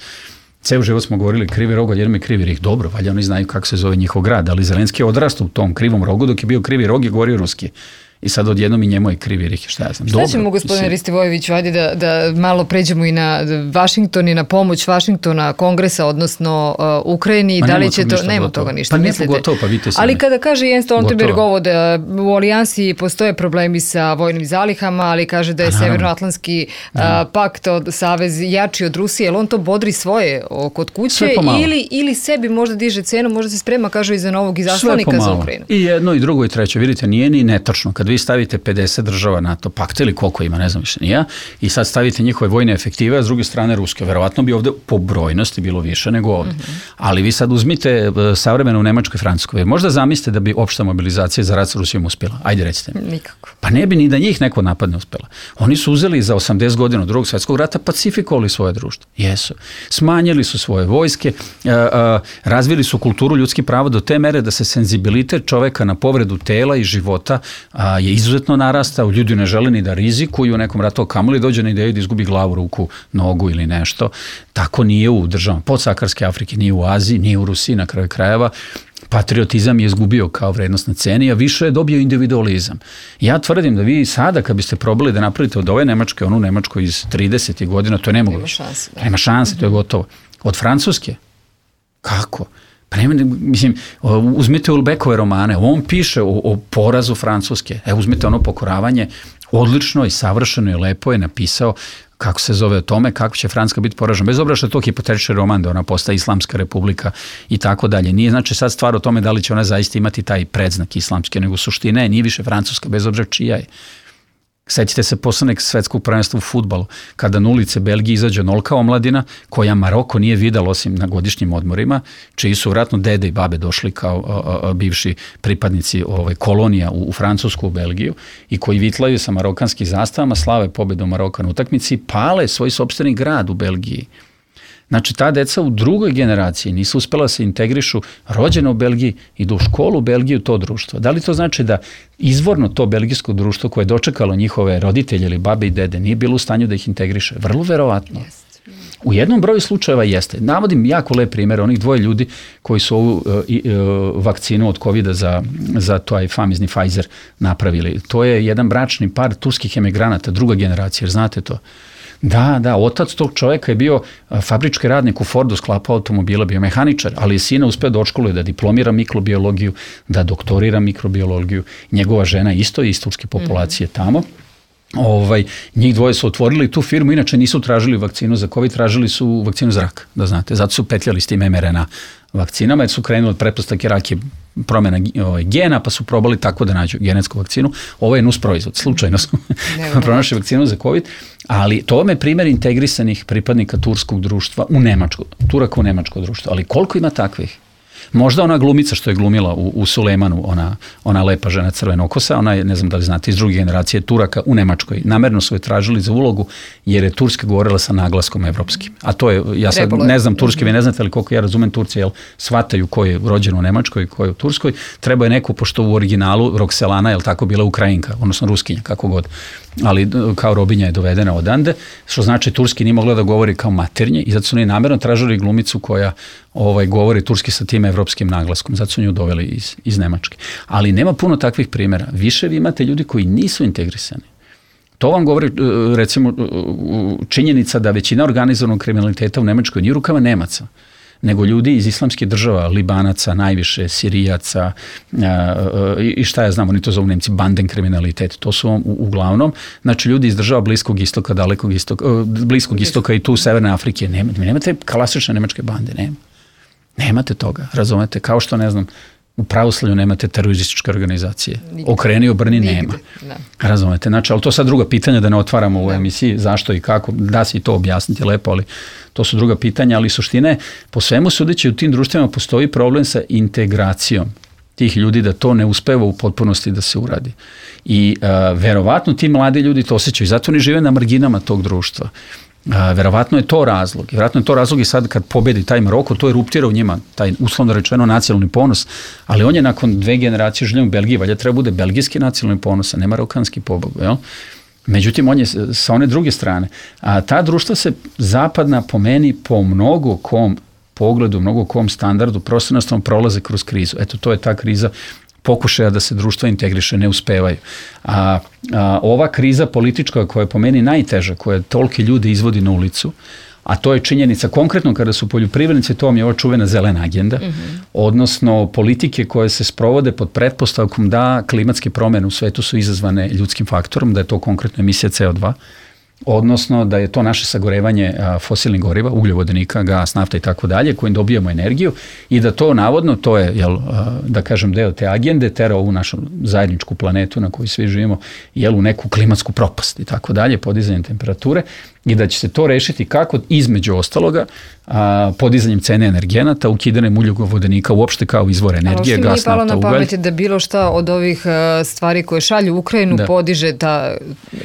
C: Ceo život smo govorili Krivi Rog, odjednom je Krivi Rih. Dobro, valjda oni znaju kako se zove njihov grad, ali Zelenski je odrastao u tom Krivom Rogu, dok je bio Krivi Rog i govorio ruski. I sad odjednom i njemu je Krivi Rih, šta ja znam.
B: Šta ćemo, gospodine Ristivojeviću, ajde da malo pređemo i na Vašington i na pomoć Vašingtona, Kongresa, odnosno Ukrajini, da li će to, nema toga ništa,
C: pa
B: mislite?
C: Gotovo, pa vidite se.
B: Ali kada kaže Jens Stoltenberg ovo da u alijansi postoje problemi sa vojnim zalihama, ali kaže da je Severnoatlantski pakt od savez jači od Rusije, jel on to bodri svoje kod kuće ili sebi možda diže cenu, možda se sprema, kaže, iza novog izaslanika za Ukrajinu?
C: I jedno i drugo i treće, vidite, nije ni netačno. Kad vi stavite 50 država NATO pakta ili koliko ima, ne znam više nije, i sad stavite njihove vojne efektive, a s druge strane ruske. Verovatno bi ovde po brojnosti bilo više nego ovde. Ali vi sad uzmite savremeno u Nemačkoj i Francuskoj. Možda zamislite da bi opšta mobilizacija za rat s Rusijom uspjela. Ajde, recite mi.
B: Nikako.
C: Pa ne bi ni da njih neko napadne uspjela. Oni su uzeli za 80 godina od Drugog svjetskog rata, pacifikovali svoje društvo. Jesu. Smanjili su svoje vojske, razvili su kulturu ljudskih prava do te mere da se senzibilitet čoveka na povredu tela i života je izuzetno narastao, ljudi ne žele ni da rizikuju u nekom ratu, kamoli dođe na ideju da izgubi glavu, ruku, nogu ili nešto. Tako nije u državama podsaharske Afrike, nije u Aziji, nije u Rusiji na kraju krajeva. Patriotizam je izgubio kao vrednost na ceni, a više je dobio individualizam. Ja tvrdim da vi sada, kad biste probali da napravite od ove Nemačke, onu Nemačku iz 30. godina, to je nemoguće. Nema šanse, to je gotovo. Od Francuske? Kako? Pa nema, mislim, uzmite Ulbeckove romane, on piše o porazu Francuske. Uzmite ono Pokoravanje, odlično i savršeno i lepo je napisao kako se zove o tome, kako će Francuska biti poražena. Bez obzira što je to hipotetični roman, da ona postaje Islamska republika i tako dalje. Nije znači sad stvar o tome da li će ona zaista imati taj predznak islamski, nego suština nije više Francuska, bez obzira čija je. Sećate se poslednjeg svetskog prvenstva u fudbalu, kada na ulice Belgije izađe onolika omladina koja Maroko nije videla osim na godišnjim odmorima, čiji su vratno dede i babe došli kao bivši pripadnici kolonija u Francusku, u Belgiju, i koji vitlaju sa marokanskim zastavama, slave pobedu Maroka na utakmici i pale svoj sopstveni grad u Belgiji. Znači, ta deca u drugoj generaciji nisu uspela da se integrišu, rođena u Belgiji, idu u školu u Belgiju, to društvo. Da li to znači da izvorno to belgijsko društvo koje je dočekalo njihove roditelje ili babe i dede nije bilo u stanju da ih integriše? Vrlo verovatno. U jednom broju slučajeva jeste. Navodim jako lep primjer onih dvoje ljudi koji su ovu vakcinu od COVID-a za taj famizni Pfizer napravili. To je jedan bračni par turskih emigranata, druga generacija, jer znate to. Da, otac tog čovjeka je bio fabrički radnik u Fordu, sklapao automobila, bio mehaničar, ali je sina uspeo da odškoluje, da diplomira mikrobiologiju, da doktorira mikrobiologiju. Njegova žena isto je iz turske populacije tamo. Njih dvoje su otvorili tu firmu, inače nisu tražili vakcinu za COVID, tražili su vakcinu za rak, da znate. Zato su petljali s tim mRNA vakcinama, jer su krenuli od pretpostavke rak je promjena gena, pa su probali tako da nađu genetsku vakcinu. Ovo je nus proizvod, slučajno su pronašli vakcinu za COVID, ali to vam je primjer integrisanih pripadnika turskog društva u Nemačku, Turaka u nemačko društvo, ali koliko ima takvih? Možda ona glumica što je glumila u Sulejmanu, ona lepa žena crvenokosa, ona je, ne znam da li znate, iz druge generacije Turaka u Nemačkoj. Namerno su je tražili za ulogu jer je Turska govorila sa naglaskom evropskim. A to je, ja sad ne znam turski, vi ne znate, ali koliko ja razumem Turci, jel shvataju ko je rođen u Nemačkoj i ko je u Turskoj. Treba je neko, pošto u originalu Rokselana, jel tako, bila Ukrajinka, odnosno Ruskinja, kako god. Ali kao robinja je dovedena odande, što znači turski nije mogla da govori kao maternje i zato su oni namerno tražili glumicu koja govori turski sa tim evropskim naglaskom, zato su nju doveli iz Nemačke. Ali nema puno takvih primjera. Više vi imate ljudi koji nisu integrisani. To vam govori, recimo, činjenica da većina organizovanog kriminaliteta u Nemačkoj nije u rukama Nemaca, nego ljudi iz islamskih država, Libanaca, najviše, Sirijaca i šta ja znam, oni to zovu Nemci banden kriminalitet. To su uglavnom, znači ljudi iz država Bliskog istoka, Bliskog istoka i tu Severne Afrike. Nemate klasične nemačke bande, nemate toga, razumete, kao što ne znam, u pravoslavlju nemate terorističke organizacije. Okreni, obrni, nema. Razumete, znači, ali to sad druga pitanja da ne otvaramo u emisiji, zašto i kako, da se i to objasniti lepo, ali to su druga pitanja, ali suština je, po svemu sudeći u tim društvima postoji problem sa integracijom tih ljudi, da to ne uspeva u potpunosti da se uradi. I verovatno ti mladi ljudi to osjećaju, zato oni žive na marginama tog društva. Verovatno je to razlog. Verovatno je to razlog i sad kad pobedi taj Maroko, to je eruptira u njima, taj uslovno rečeno nacionalni ponos, ali on je nakon 2 generacije življenja u Belgiji, valjda treba bude belgijski nacionalni ponos, a ne marokanski pobogu, jel? Međutim, on je sa one druge strane. A ta društva se zapadna po meni po mnogo kom pogledu, mnogo kom standardu prosto prolaze kroz krizu. Eto, to je ta kriza pokušaja da se društva integriše, ne uspevaju. Ova kriza politička koja je po meni najteža, koja toliki ljudi izvodi na ulicu, a to je činjenica konkretno kada su poljoprivrednici, to vam je ova čuvena zelena agenda, odnosno politike koje se sprovode pod pretpostavkom da klimatske promjene u svetu su izazvane ljudskim faktorom, da je to konkretno emisija CO2, odnosno da je to naše sagorevanje fosilnih goriva, ugljovodonika, gas, nafta i tako dalje, kojim dobijamo energiju i da to navodno, to je, da kažem, deo te agende, tera ovu našu zajedničku planetu na kojoj svi živimo, u neku klimatsku propast i tako dalje, podizanjem temperature i da će se to rešiti kako između ostaloga podizanjem cene energenata, ukidanjem ugljovodonika uopšte kao izvor energije, gas, nafta, ugalj.
B: Ali što mi je palo na pamet da bilo šta od ovih stvari koje šalju Ukrajinu podiže ta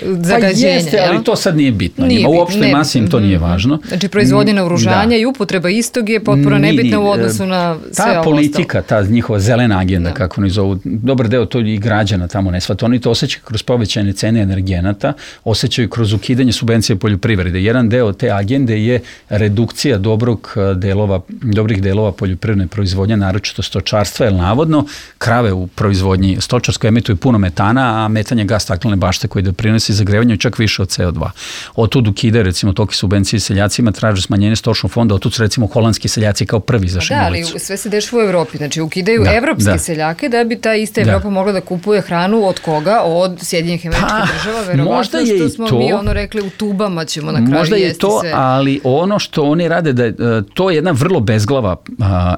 B: zagađenja.
C: Pa jeste, ali to sad nije bitno. Uopšte masi im to nije važno.
B: Znači proizvodnje naoružanja i upotreba istog je potpuno nebitna u odnosu na sve ovo.
C: Ta politika, ta njihova zelena agenda, kako oni zovu, dobar deo to i građana tamo ne shvata. Oni to osjećaju kroz povećanje cene energenata, osjećaju kroz ukidanje subvencije poljoprivrede. Jedan deo te agende je redukcija dobrih delova poljoprivredne proizvodnje, naročito stočarstva, jer navodno krave u proizvodnji stočarskoj emituju puno metana, a metan je gas staklene bašte koji doprinosi zagrevanju čak više od CO2. Otud ukide, recimo, toki subvencije seljacima, traže smanjenje stočnog fonda, otud su, recimo, holandski seljaci kao prvi izašli na ulicu.
B: Ali sve se dešava u Evropi, znači ukidaju evropske seljake da bi ta ista Evropa mogla da kupuje hranu od koga? Od Sjedinjenih Američkih Država, verovatno što smo mi rekli u tubama ćemo na kraju
C: možda jesti to, sve. Ali ono što oni rade, da je to jedna vrlo bezglava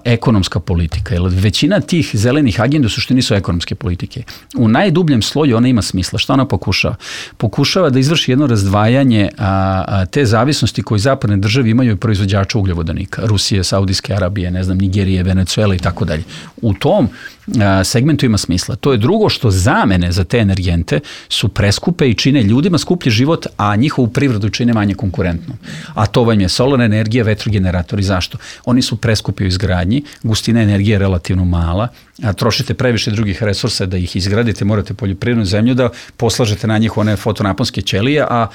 C: ekonomska politika, jer većina tih zelenih agenda u suštini su ekonomske politike. U najdubljem sloju ona ima smisla. Šta ona pokušava? Pokušava da izvrši jedno razdvajanje te zavisnosti koje zapadne države imaju proizvođača ugljovodonika. Rusije, Saudijske Arabije, ne znam, Nigerije, Venecuela i tako dalje. U tom segmentu ima smisla. To je drugo, što zamene za te energente su preskupe i čine ljudima skuplji život, a njihovu privredu čine manje konkurentno. A to vam je solarna energija, vetrogeneratori. Zašto? Oni su preskupi u izgradnji, gustina energije je relativno mala, trošite previše drugih resursa da ih izgradite, morate poljoprivrednu zemlju da poslažete na njih one fotonaponske ćelije, a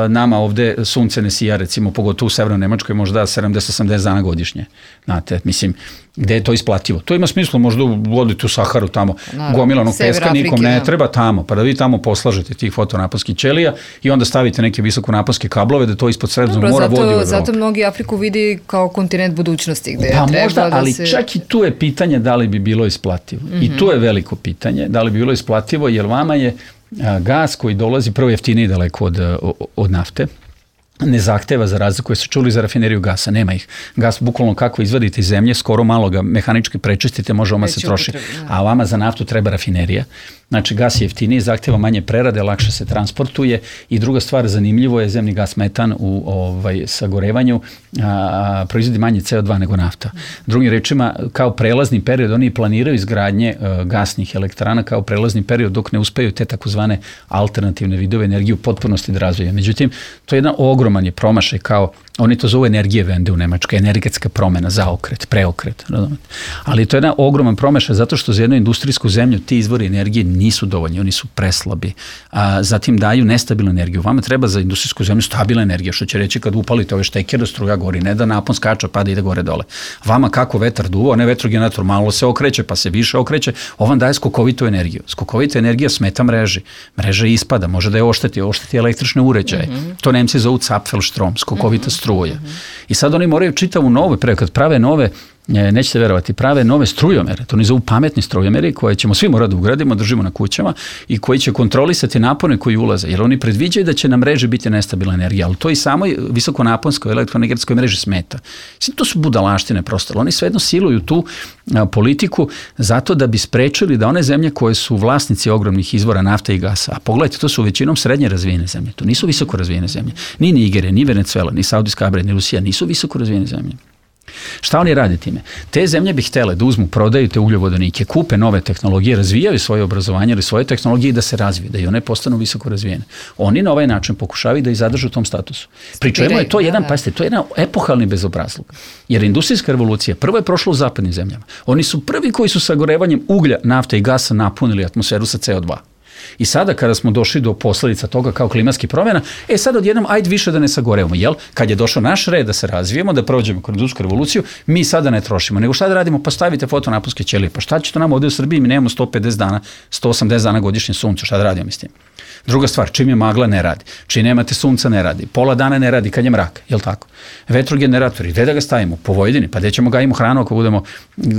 C: nama ovde sunce ne sija, recimo, pogotovo u Severnoj Nemačkoj, možda 70-80 dana godišnje. Znate, mislim, gde je to isplativo? To ima smisla, možda vodite u Saharu tamo, gomilanog peska, nikom ne treba tamo, pa da vi tamo poslažete tih fotonaponskih ćelija i onda stavite neke visokonaponske kablove da to ispod Sredozemnog mora vodi u Evropu.
B: Zato mnogi Afriku vidi kao kontinent budućnosti gde
C: pa
B: treba
C: možda,
B: da
C: ali
B: se...
C: čak i tu je pitanje da li bi bilo isplativo. I tu je veliko pitanje, da li bi bilo isplativo, jer vama je gas koji dolazi prvo jeftiniji daleko od nafte, ne zahteva, za razliku koje su čuli za rafineriju gasa, nema ih. Gas bukvalno kako izvadite iz zemlje, skoro malo ga mehanički prečistite, može oma se troši. A vama za naftu treba rafinerija. Znači, gas je jeftiniji, zahteva manje prerade, lakše se transportuje i druga stvar, zanimljivo je, zemni gas metan u sagorevanju proizvodi manje CO2 nego nafta. Drugim rečima, kao prelazni period, oni planiraju izgradnje gasnih elektrana kao prelazni period dok ne uspeju te takozvane alternativne vidove energije u potpunosti da razvijaju. Međutim, to je jedan ogroman je promašaj kao Oni to zovu energije vende u Nemačkoj, energetska promena, zaokret, preokret. Ali to je jedna ogroman promašaj zato što za jednu industrijsku zemlju ti izvori energije nisu dovoljni, oni su preslabi. Zatim daju nestabilnu energiju. Vama treba za industrijsku zemlju stabilna energija, što će reći kad upalite ove štekere, struja gori, ne da napon skača, pada ide gore dole. Vama kako vetar duva, onaj vetrogenerator malo se okreće, pa se više okreće, on daje skokovitu energiju. Skokovita energija smeta mreži. Mreža ispada, može da je ošteti električne uređaje. To Nemci zovu Zapfelstrom, skokovita struje. I sad oni moraju čitavu nove, kad prave nove, nećete verovati, prave nove strujomere, to oni zovu pametni strujomeri koje ćemo svi morati da ugradimo, držimo na kućama i koji će kontrolisati napone koji ulaze, jer oni predviđaju da će na mreži biti nestabilna energija, ali to i samoj visokonaponskoj elektroenergetskoj mreži smeta. To su budalaštine prosto, oni svejedno siluju tu politiku zato da bi sprečili da one zemlje koje su vlasnici ogromnih izvora nafte i gasa, a pogledajte, to su većinom srednje razvijene zemlje, to nisu visoko razvijene zemlje, ni Nigerija, ni Venezuela, ni Saudijska Arabija, ni Rusija, nisu visoko razvijene zemlje. Šta oni rade time? Te zemlje bi htjele da uzmu, prodaju te ugljovodanike, kupe nove tehnologije, razvijaju svoje obrazovanje ili svoje tehnologije i da se razvije, da i one postanu visoko razvijene. Oni na ovaj način pokušavaju da ih zadržu u tom statusu. Pričujemo je to pazite, to je jedan epohalni bezobrazluk. Jer industrijska revolucija prvo je prošla u zapadnim zemljama. Oni su prvi koji su sagorevanjem uglja, nafte i gasa napunili atmosferu sa CO2. I sada kada smo došli do posljedica toga kao klimatskih promjena, sad odjednom ajde više da ne sagorevamo, jel? Kad je došao naš red da se razvijemo, da prođemo kroz industrijsku revoluciju, mi sada ne trošimo, nego šta da radimo? Pa stavite fotonaponske ćelije, pa šta će to nam ovdje u Srbiji, mi nemamo 150 dana, 180 dana godišnje sunce, šta da radimo s tim? Druga stvar, čim je magla ne radi, čim nemate sunca ne radi, pola dana ne radi kad je mrak, jel tako? Vetrogeneratori, gde da ga stavimo? Po Vojvodini, pa gde ćemo gajimo hranu ako budemo,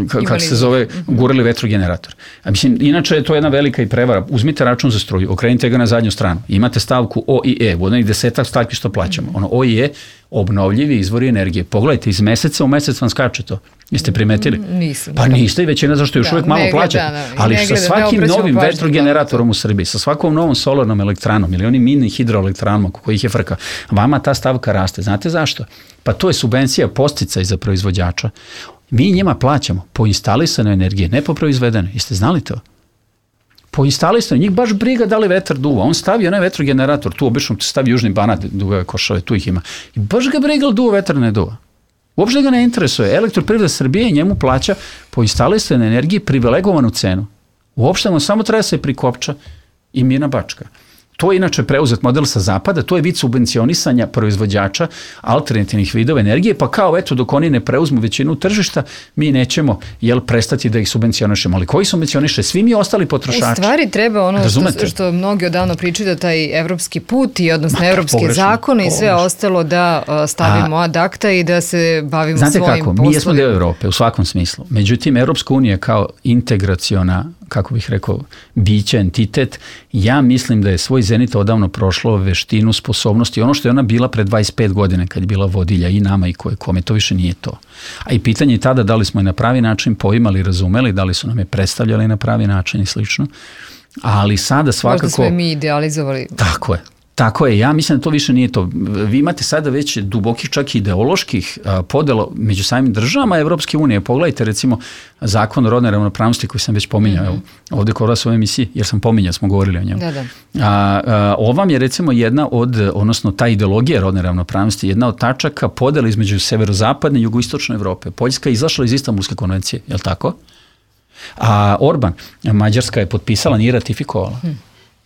C: kako se zove, gurali vetrogenerator. A mislim, inače je to jedna velika i prevara. Uzmite račun za struju, okrenite ga na zadnju stranu. Imate stavku O i E, u onih 10 stavki što plaćamo. Ono O i E, obnovljivi izvori energije. Pogledajte, iz meseca u mesec vam skače to. Jeste primetili?
B: Nisam.
C: Pa niste i većina zašto još uvijek malo plaćate. Ali sa svakim novim vetrogeneratorom u Srbiji, sa svakom novom solarnom elektranom ili onim mini hidroelektranama kojih je frka, vama ta stavka raste. Znate zašto? Pa to je subvencija podsticaj za proizvođača. Mi njima plaćamo po instalisanoj energiji, ne po proizvedenoj. Jeste znali to? Po instalisanoj, njih baš briga da li vetar duva. On stavi onaj vetrogenerator, tu obično stavi Južni Banat, duve košave, tu ih ima. I baš ga briga li duva vetar ne duva. Uopšte ga ne interesuje. Elektroprivreda Srbije njemu plaća po instalisanoj energiji privilegovanu cenu. Uopšte mu samo treba se prikopča i mirna bačka. To je inače preuzet model sa zapada, to je vid subvencionisanja proizvođača alternativnih vidova energije, pa kao eto dok oni ne preuzmu većinu tržišta, mi nećemo prestati da ih subvencionišemo. Ali koji subvencioniše? Svi mi ostali potrošači.
B: U stvari treba ono što mnogi odavno pričaju da taj evropski put i odnosno evropske zakone i sve ostalo da stavimo ad acta i da se bavimo svojim poslovima.
C: Znate kako, mi jesmo deo Evrope u svakom smislu. Međutim, Evropska unija kao integraciona, kako bih rekao, biće, entitet, ja mislim da je svoj zenit odavno prošlo veštinu, sposobnosti, ono što je ona bila pre 25 godina kad je bila vodilja i nama i kome, to više nije to. A i pitanje je tada da li smo je na pravi način poimali, razumeli, da li su nam je predstavljali na pravi način i slično. Ali sada svakako...
B: Možda smo je mi idealizovali.
C: Tako je, ja mislim da to više nije to. Vi imate sada već dubokih čak ideoloških podela među samim državama Evropske unije. Pogledajte recimo zakon o rodnoj ravnopravnosti koji sam već pominjao ovdje kod vas u ovoj emisiji, jer sam pominjao, smo govorili o njemu. Ovam je recimo jedna od, odnosno ta ideologija rodne ravnopravnosti, jedna od tačaka podela između severozapadne i jugoistočne Evrope. Poljska je izašla iz Istanbulske konvencije, je li tako? A Orban, Mađarska je potpisala, nije ratifikovala.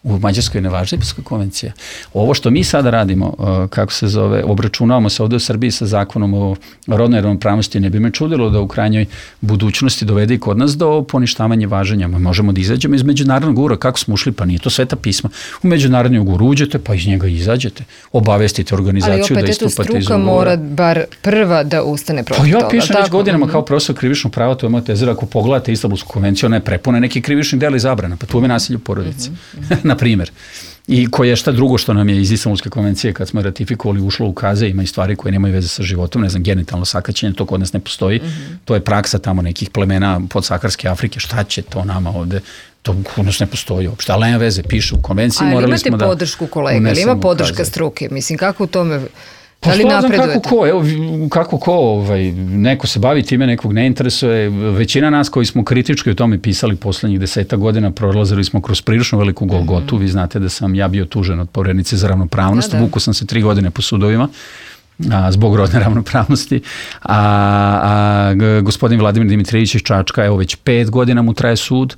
C: U Mađarskoj ne važi Istanbulska konvencija. Ovo što mi sada radimo, kako se zove, obračunavamo se ovdje u Srbiji sa zakonom o rodnoj ravnopravnosti, ne bi me čudilo da u krajnjoj budućnosti dovede i kod nas do poništavanja važenja. Možemo da izađemo iz međunarodnog ugovora, kako smo ušli, pa nije to sveta pisma. U međunarodni ugovor uđete, pa iz njega izađete. Obavestite organizaciju da istupate iz ugovora.
B: Ali opet struka mora bar prva da ustane protiv toga.
C: Pa ja pišem već godinama kao profesor krivičnog prava, to je moja teza, ako pogledate Istanbulsku konvenciju, ona je prepuna nekih krivičnih dela i zabrana, pa tu je nasilje u porodici. Na primjer. I koje je šta drugo što nam je iz Istanbulske konvencije kad smo ratifikovali ušlo u kaze, ima i stvari koje nemaju veze sa životom, ne znam, genitalno sakaćenje, to kod nas ne postoji, to je praksa tamo nekih plemena podsaharske Afrike, šta će to nama ovde, to kod nas ne postoji uopšte, ali nema veze, piše u konvenciji, morali smo da...
B: A imate podršku kolega, ili ima podrška struke, mislim, kako u tome...
C: Pa što znam kako ko, neko se bavi time, nekog ne interesuje. Većina nas koji smo kritički o tome pisali poslednjih 10 godina, prolazili smo kroz prilično veliku golgotu. Vi znate da sam ja bio tužen od Poverenice za ravnopravnost, vuku sam se 3 godine po sudovima. zbog rodne ravnopravnosti, a gospodin Vladimir Dimitrijević iz Čačka, evo već 5 godina mu traje sud,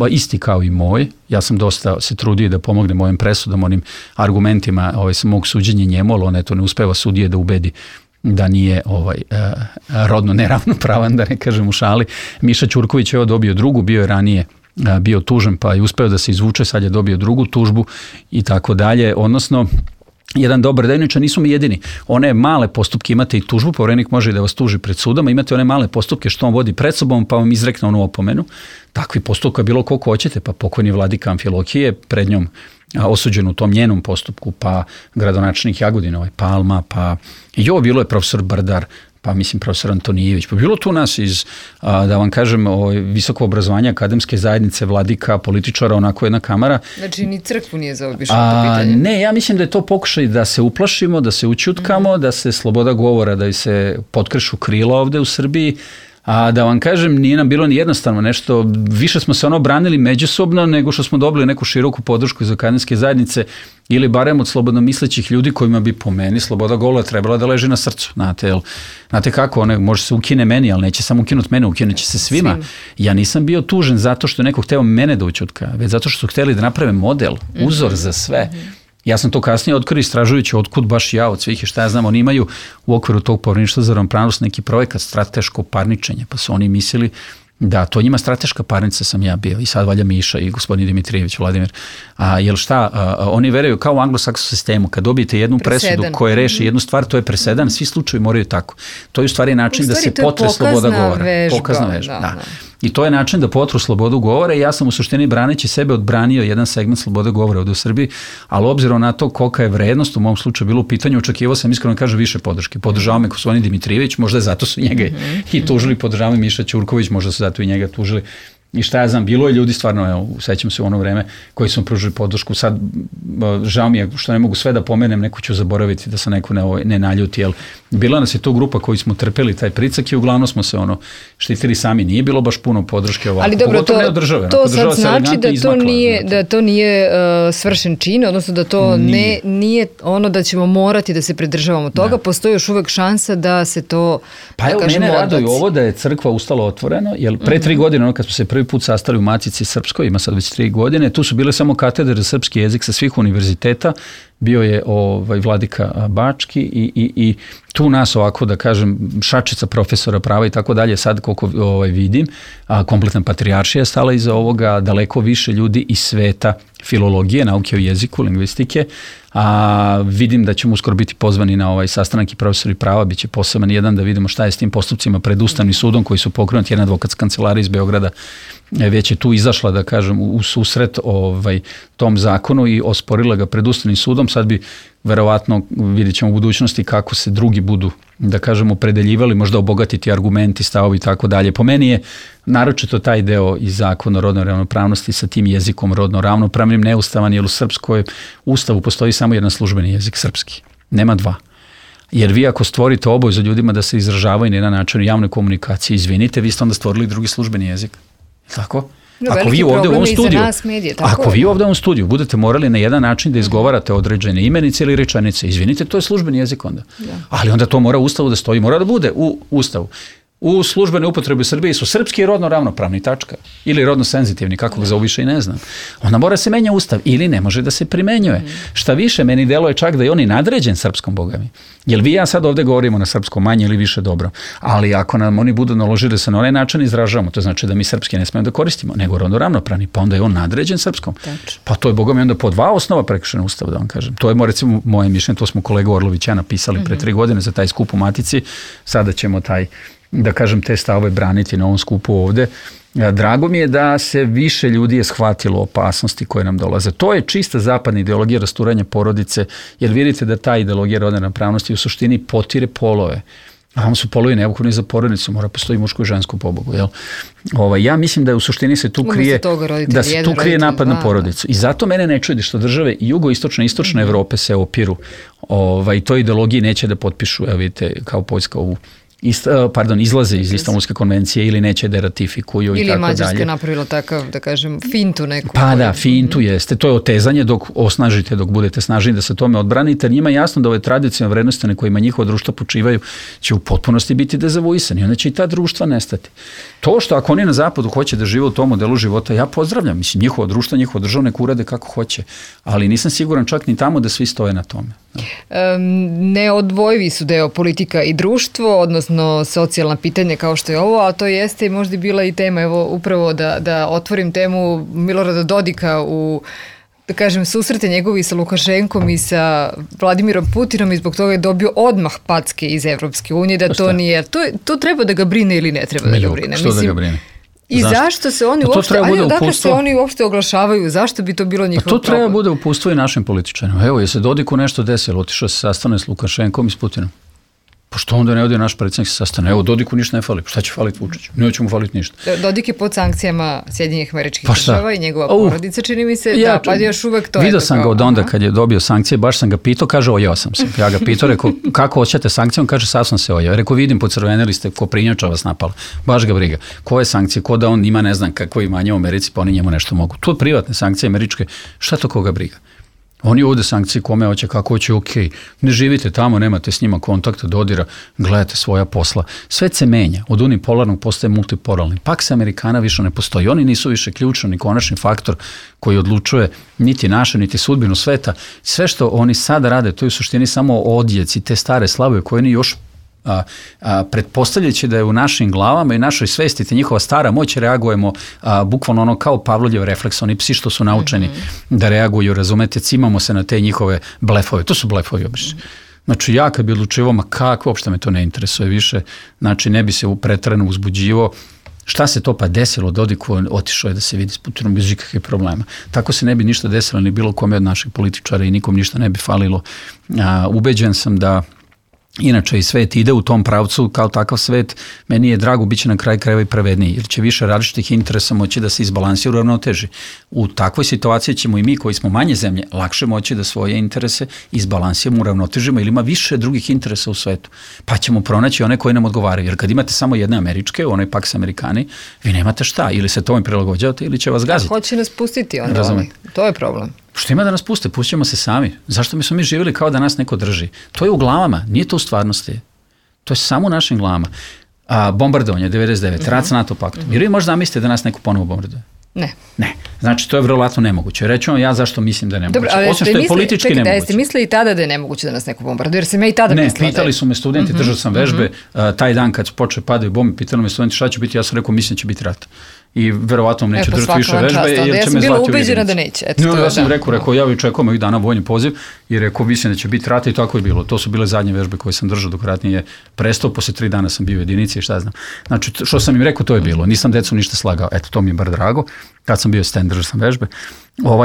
C: isti kao i moj. Ja sam dosta se trudio da pomognem mojim presudom, onim argumentima mog suđenja njemu, ali on eto ne uspeva sudije da ubedi da nije rodno neravnopravan, da ne kažem u šali. Miša Ćurković je dobio drugu, bio je ranije bio tužen pa je uspeo da se izvuče, sad je dobio drugu tužbu i tako dalje, odnosno jedan dobar dejničar, nisu mi jedini. One male postupke, imate i tužbu, Poverenik može da vas tuži pred sudom, a imate one male postupke što on vodi pred sobom pa vam izrekne onu opomenu. Takvi postupka bilo koliko hoćete, pa pokojni vladika Amfilohije pred njom osuđen u tom njenom postupku, pa gradonačelnik Jagodina, Palma, pa bilo je profesor Brdar, pa mislim profesor Antonijević, pa bilo tu nas iz, da vam kažem, visoko obrazovanja, akademske zajednice, vladika, političara, onako jedna kamara.
B: Znači ni crkvu nije zaobišlo to pitanje?
C: Ne, ja mislim da je to pokušaj da se uplašimo, da se ućutkamo, da se sloboda govora, da se potkrešu krila ovde u Srbiji, a da vam kažem, nije nam bilo ni jednostavno nešto, više smo se branili međusobno nego što smo dobili neku široku podršku iz akademske zajednice ili barem od slobodno mislećih ljudi kojima bi po meni sloboda govora trebala da leži na srcu. Znate kako, može se ukine meni, ali neće samo ukinuti mene, ukinuće se svima. Ja nisam bio tužen zato što je neko hteo mene da ućutka, već zato što su hteli da naprave model, uzor za sve. Ja sam to kasnije otkrio istražujući otkud baš ja od svih i šta ja znam, oni imaju u okviru tog Povereništva za ravnopravnost neki projekat strateško parničenje, pa su oni mislili da to njima strateška parnica sam ja bio i sad valja Miša i gospodin Dimitrijević, Vladimir. Jel šta, oni veruju kao u anglosaksonskom sistemu, kad dobijete jednu presudu koja reši jednu stvar, to je presedan, svi slučajevi moraju tako. To je u stvari način da se potre sloboda govora. Pokazna vežba. Da. I to je način da potru slobodu govora i ja sam u suštini braneći sebe odbranio jedan segment slobode govora ovdje u Srbiji, ali obzirom na to kolika je vrednost u mom slučaju bilo u pitanju, očekivao sam iskreno kažem više podrške. Podržavao me gospodin Dimitrijević, možda je zato su njega i tužili, podržavao me Miša Ćurković, možda su zato i njega tužili. I šta ja znam, bilo je ljudi stvarno, sećam se u ono vreme koji su pružili podršku, sad žao mi je što ne mogu sve da pomenem, neko ću zaboraviti da se neko ne naljuti, jer bila nas je to grupa koji smo trpeli taj pricak i uglavnom smo se štitili sami, nije bilo baš puno podrške ovako.
B: Ali dobro, to sad znači da to nije svršen čin, odnosno da to nije ono da ćemo morati da se pridržavamo toga, postoji još uvek šansa da se to,
C: pa evo, mene raduju ovo da je crkva ustala otvoreno, jer pre 3 godine, kad smo se prvi put sastali u Matici Srpskoj, ima sad već 3 godine, tu su bile samo katedre za srpski jezik sa svih univerziteta, bio je vladika Bački i tu nas ovako da kažem šačica profesora prava i tako dalje, sad koliko vidim, kompletna patrijaršija je stala iza ovoga, daleko više ljudi iz sveta filologije, nauke o jeziku, lingvistike, a vidim da ćemo uskoro biti pozvani na ovaj sastanak i profesori prava, bit će poseban jedan da vidimo šta je s tim postupcima pred Ustavnim sudom koji su pokrenuti, jedna advokatska kancelarija iz Beograda već je tu izašla da kažem u susret tom zakonu i osporila ga pred Ustavnim sudom, sad bi verovatno vidjet ćemo u budućnosti kako se drugi budu da kažem opredeljivali, možda obogatiti argumenti, stavovi i tako dalje. Po meni je naročito taj deo iz zakona o rodnoj ravnopravnosti sa tim jezikom rodno ravnopravnim neustavan, jer u srpskoj ustavu postoji samo jedan službeni jezik, srpski. Nema dva. Jer vi ako stvorite obavezu ljudima da se izražavaju na jedan način u javnoj komunikaciji, izvinite, vi ste onda stvorili drugi službeni jezik. Tako? Ako vi ovdje u ovom studiju budete morali na jedan način da izgovarate određene imenice ili rečenice, izvinite, to je službeni jezik onda. Ali onda to mora u Ustavu da stoji, mora da bude u Ustavu. U službene upotrebe u Srbiji su srpski i rodno ravnopravni, tačka. Ili rodno senzitivni, kako ga zovu više i ne znam. Onda mora se menja Ustav ili ne može da se primenjuje. Šta više, meni deluje čak da je on i nadređen srpskom, bogami. Jer vi ja sad ovdje govorimo na srpskom manje ili više dobro, ali ako nam oni budu naložili da se na onaj način izražavamo, to znači da mi srpski ne smijemo da koristimo, nego rodno ravnopravni, pa onda je on nadređen srpskom. Pa to je bogami onda po 2 osnova prekršena Ustava, da vam kažem. To je recimo moje mišljenje, to smo kolega Orlović ja napisali pre 3 godine za taj skup u Matici, sada ćemo da kažem te stavove braniti na ovom skupu ovde. Drago mi je da se više ljudi je shvatilo opasnosti koje nam dolaze. To je čista zapadna ideologija rasturanja porodice, jer vidite da ta ideologija rodne ravnopravnosti u suštini potire polove. A vam su polovi neophodni za porodicu, mora postoji muško i žensko pobogu. Ja mislim da u suštini se tu krije napad na porodicu. I zato mene ne čudi što države jugoistočne i istočne Evrope se opiru i toj ideologiji neće da potpišu, vidite, kao Poljska ovu izlaze iz Istanbulske konvencije ili neće da ratifikuju i tako dalje.
B: Ili Mađarska napravila takav, da kažem, fintu neku.
C: Pa da, fintu jeste. To je otezanje dok osnažite, dok budete snažni da se tome odbranite. Njima je jasno da ove tradicionalne vrednosti na kojima njihova društva počivaju će u potpunosti biti dezavuisani. Onda će i ta društva nestati. To što ako oni na zapadu hoće da žive u tom modelu života, ja pozdravljam. Mislim, njihovo društvo, njihovo država nek urade kako hoće. Ali nisam siguran čak ni tamo da svi stoje na tome.
B: Neodvojivi su deo politika i društvo, odnosno socijalna pitanja kao što je ovo, a to jeste i možda bila i tema, evo upravo da otvorim temu Milorada Dodika u, da kažem, susrete njegovi sa Lukašenkom i sa Vladimirom Putinom i zbog toga je dobio odmah packe iz Evropske unije, da to nije, to treba da ga brine ili ne treba da ga brine.
C: Što da ga brine?
B: I zašto se oni uopšte oglašavaju, zašto bi to bilo njihov problem?
C: To treba bude uputstvo i našim političarima. Evo, je se Dodiku nešto desilo, otišao se sastane s Lukašenkom i s Putinom. Pa što onda ne ode naš predsjednik se sastane? Evo, Dodiku ništa ne fali. Šta će faliti Vučiću? Neće mu faliti ništa.
B: Dodik je pod sankcijama Sjedinjenih Američkih Država i njegova porodica, čini mi se, pa još uvek to je.
C: Vidio sam ga od onda kad je dobio sankcije, baš sam ga pitao, kaže, ojeo sam se. Ja ga pitao, rekao, kako hoćete sankcije? On kaže, sad sam se ojeo. Rekao, vidim, pocrvenili ste, ko prinjača vas napala. Baš ga briga. Koje sankcije? Ko da on ima, ne znam, kako imanje u Americi, pa oni njemu nešto mogu. To je privatne sankcije američke. Šta to koga briga? Oni uvode sankcije kome hoće, kako hoće, ok. Ne živite tamo, nemate s njima kontakta, dodira, gledate svoja posla. Sve se menja. Od unipolarnog postaje multipolarni. Paks Amerikana više ne postoji. Oni nisu više ključni ni konačni faktor koji odlučuje niti naše, niti sudbinu sveta. Sve što oni sada rade, to je u suštini samo odjeci, te stare slave koje oni još pretpostavljajući da je u našim glavama i našoj svesti te njihova stara moć, reagujemo bukvalno ono kao Pavlovljev refleks, oni psi što su naučeni da reaguju, razumete, cimamo se na te njihove blefove, to su blefovi obični. Znači ja kad bi odlučivao, ma kako, uopšte me to ne interesuje više, znači ne bi se pretrano uzbuđivao. Šta se to pa desilo? Dodiku otišao je da se vidi s Putinom bez ikakvih problema. Tako se ne bi ništa desilo ni bilo kome od naših političara i nikom ništa ne bi falilo. Ubeđen sam da inače i svet ide u tom pravcu kao takav svet, meni je drago, bit će na kraj krajeva i pravedniji, jer će više različitih interesa moći da se izbalansira u ravnoteži. U takvoj situaciji ćemo i mi koji smo manje zemlje lakše moći da svoje interese izbalansiramo, uravnotežimo, ili ima više drugih interesa u svetu. Pa ćemo pronaći one koji nam odgovaraju, jer kad imate samo jedne američke, onaj Paks Amerikani, vi nemate šta, ili se tome prilagođavate ili će vas gaziti.
B: Hoće nas pustiti onda, to je problem.
C: Što ima da nas puste? Pusćemo se sami. Zašto mi smo mi živjeli kao da nas neko drži? To je u glavama, nije to u stvarnosti. To je samo u našim glavama. Bombardovanje 99, rat sa NATO paktom. Jer vi možda zamislite da nas neko ponovo bombarduje?
B: Ne.
C: Ne. Znači, to je vrlo nemoguće. Reći vam ja zašto mislim da je nemoguće.
B: Dobro,
C: osim što je politički nemoguće.
B: Jeste mislili i tada da je nemoguće da nas neko bombarduje? Jer sam ja i tada mislila.
C: Ne, pitali su me studenti, držao sam vežbe, taj dan kad počeo padaju bombe, pitali me studenti šta će biti, ja sam rekao mislim će biti rat. I verovatno vam neće držati više vežbe.
B: Ja sam bila ubeđena da neće.
C: Ja sam rekao, ja čekam ovih dana vojni poziv i rekao, mislim da će biti rat i tako je bilo. To su bile zadnje vežbe koje sam držao dok rat nije prestao, posle 3 dana sam bio u jedinici i šta znam. Znači, što sam im rekao, to je bilo. Nisam decu ništa slagao. Eto, to mi je bar drago. Kad sam bio stand, držao sam vežbe.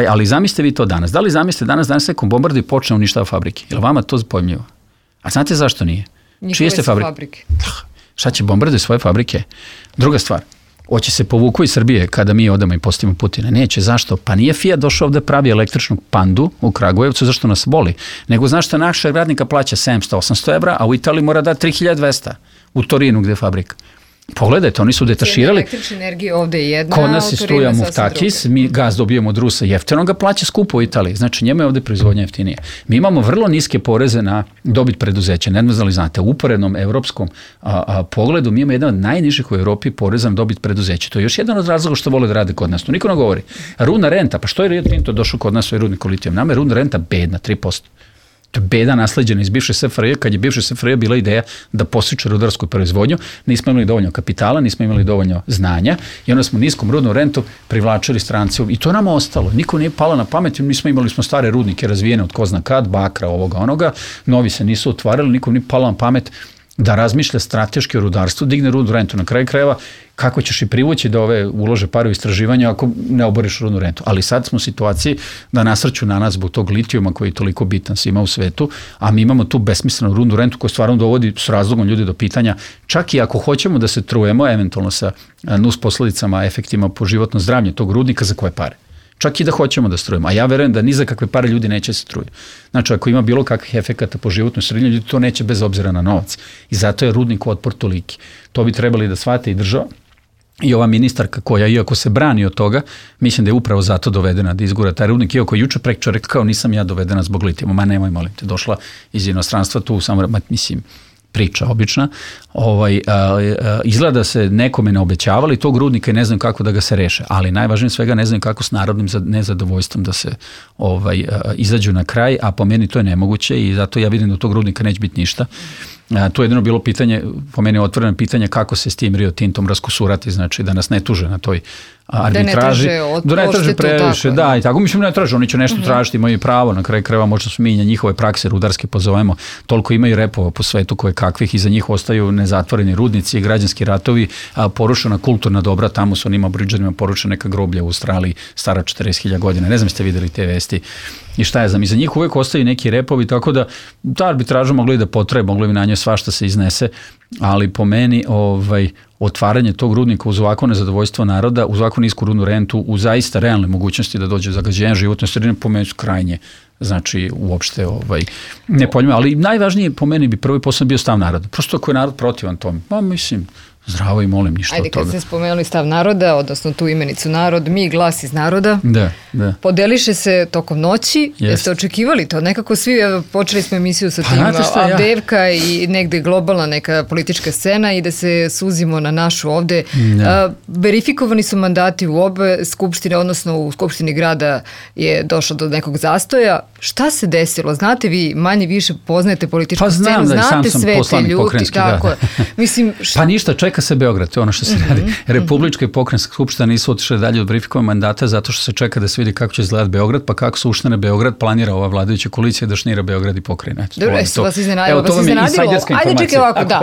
C: Ali zamislite vi to danas. Da li zamislite danas nekom bombardi počne uništava fabrike? Je li vama to pojmljivo? A znate zašto nije? Čije ste fabrike? Šta će bombarditi svoje fabrike? Druga stvar. Hoće se povuku iz Srbije kada mi odamo i postavimo Putina? Neće. Zašto? Pa nije Fiat došao ovde pravi električnu pandu u Kragujevcu, zašto nas boli? Nego znaš što našeg radnika plaća 700-800 evra, a u Italiji mora da 3200 u Torinu gde je fabrika. Pogledajte, oni su detaširali.
B: Električna energija ovde je jedna.
C: Kod nas je struja Muftakis, mi gaz dobijemo od Rusa jeftino, ga plaća skupo u Italiji. Znači njemu je ovde proizvodnja jeftinija. Mi imamo vrlo niske poreze na dobit preduzeća. Ne znam da li znate, u uporednom evropskom pogledu mi imamo jedan od najnižih u Evropi poreza na dobit preduzeća. To je još jedan od razloga što vole da rade kod nas. To niko ne govori. Rudna renta, pa što je Rio Tinto došao kod nas u rudniku litijum? Nama je rudna renta bedna, 3%. To je beda nasleđena iz bivše SFRJ, kad je bivše SFRJ bila ideja da postiče rudarsku proizvodnju, nismo imali dovoljno kapitala, nismo imali dovoljno znanja i onda smo niskom rudnom rentu privlačili strance i to nama ostalo. Niko nije palo na pamet, mi smo imali stare rudnike razvijene od ko zna kad, bakra, ovoga, onoga, novi se nisu otvarali, nikom nije palo na pamet da razmišlja strateški o rudarstvu, digne rudnu rentu na kraju krajeva, kako ćeš i privući da ove ulože pare u istraživanja ako ne oboriš rudnu rentu. Ali sad smo u situaciji da nasrću na nas zbog tog litijuma koji je toliko bitan svima u svetu, a mi imamo tu besmislenu rudnu rentu koja stvarno dovodi s razlogom ljudi do pitanja, čak i ako hoćemo da se trujemo eventualno sa nus posledicama, efektima po životno zdravlje tog rudnika, za koje pare. Čak i da hoćemo da strujemo. A ja verujem da ni za kakve pare ljudi neće se struje. Znači, ako ima bilo kakvih efekata po životnoj sredini, ljudi to neće bez obzira na novac. I zato je rudnik otpor toliki. To bi trebali da shvate i država. I ova ministarka koja, iako se brani od toga, mislim da je upravo zato dovedena da izgura taj rudnik, iako juče prekčer rekao kao nisam ja dovedena zbog litijuma, ma nemoj molim te, došla iz inostranstva tu, samo mislim, priča obična, izgleda se nekome ne obećavali tog rudnika i ne znam kako da ga se reše, ali najvažnije svega ne znam kako s narodnim nezadovoljstvom da se izađu na kraj, a po meni to je nemoguće i zato ja vidim da od tog rudnika neće biti ništa. To je jedino bilo pitanje, po meni otvoreno pitanje kako se s tim Rio Tintom raskusurati, znači da nas ne tuže na toj arbitraži. Da ne traže previše, da, i tako mislim ne traže, oni će nešto tražiti, imaju pravo, na kraju krajeva možda su mi na njihove prakse rudarske pozovemo, toliko imaju repova po svetu koje kakvih, iza njih ostaju nezatvoreni rudnici, građanski ratovi, porušena kulturna dobra, tamo su onima Aboriđanima porušena neka groblja u Australiji stara 40.000 godina, ne znam ste videli te vesti i šta je znam, iza njih uvek ostaju neki repovi, tako da ta arbitraža mogla i da potraje, mogla bi na njoj svašta se iznese, ali po meni otvaranje tog rudnika uz ovako nezadovoljstvo naroda, uz ovako nisku rudnu rentu, uz zaista realne mogućnosti da dođe zagađenja životne sredine, po meni su krajnje, znači uopšte nepojmljivo, ali najvažnije po meni bi prvi posao bio stav naroda. Prosto ako je narod protivan tome, mislim, zdravo i molim, ništa od toga.
B: Ajde, kad ste spomenuli stav naroda, odnosno tu imenicu narod, mi glas iz naroda,
C: da.
B: Podeliše se tokom noći, jeste očekivali to? Nekako svi, počeli smo emisiju sa tim Avdejevka i negde globalna neka politička scena i da se suzimo na našu ovde. Verifikovani su mandati u obe skupštine, odnosno u skupštini grada je došlo do nekog zastoja. Šta se desilo? Znate vi, manje više poznajete političku scenu, znate sve te ljudi. Mislim,
C: pa ništa, čeka se Beograd, to je ono što se radi. Republička i pokrenjska skupština nisu otišle dalje od verifikovanja mandata zato što se čeka da se vidi kako će izgledati Beograd, pa kako se uštane Beograd, planira ova vladajuća koalicija da šnira Beograd i pokrajina.
B: Dobro, jesu vas iznenadilo? Ajde, čekaj ovako, da.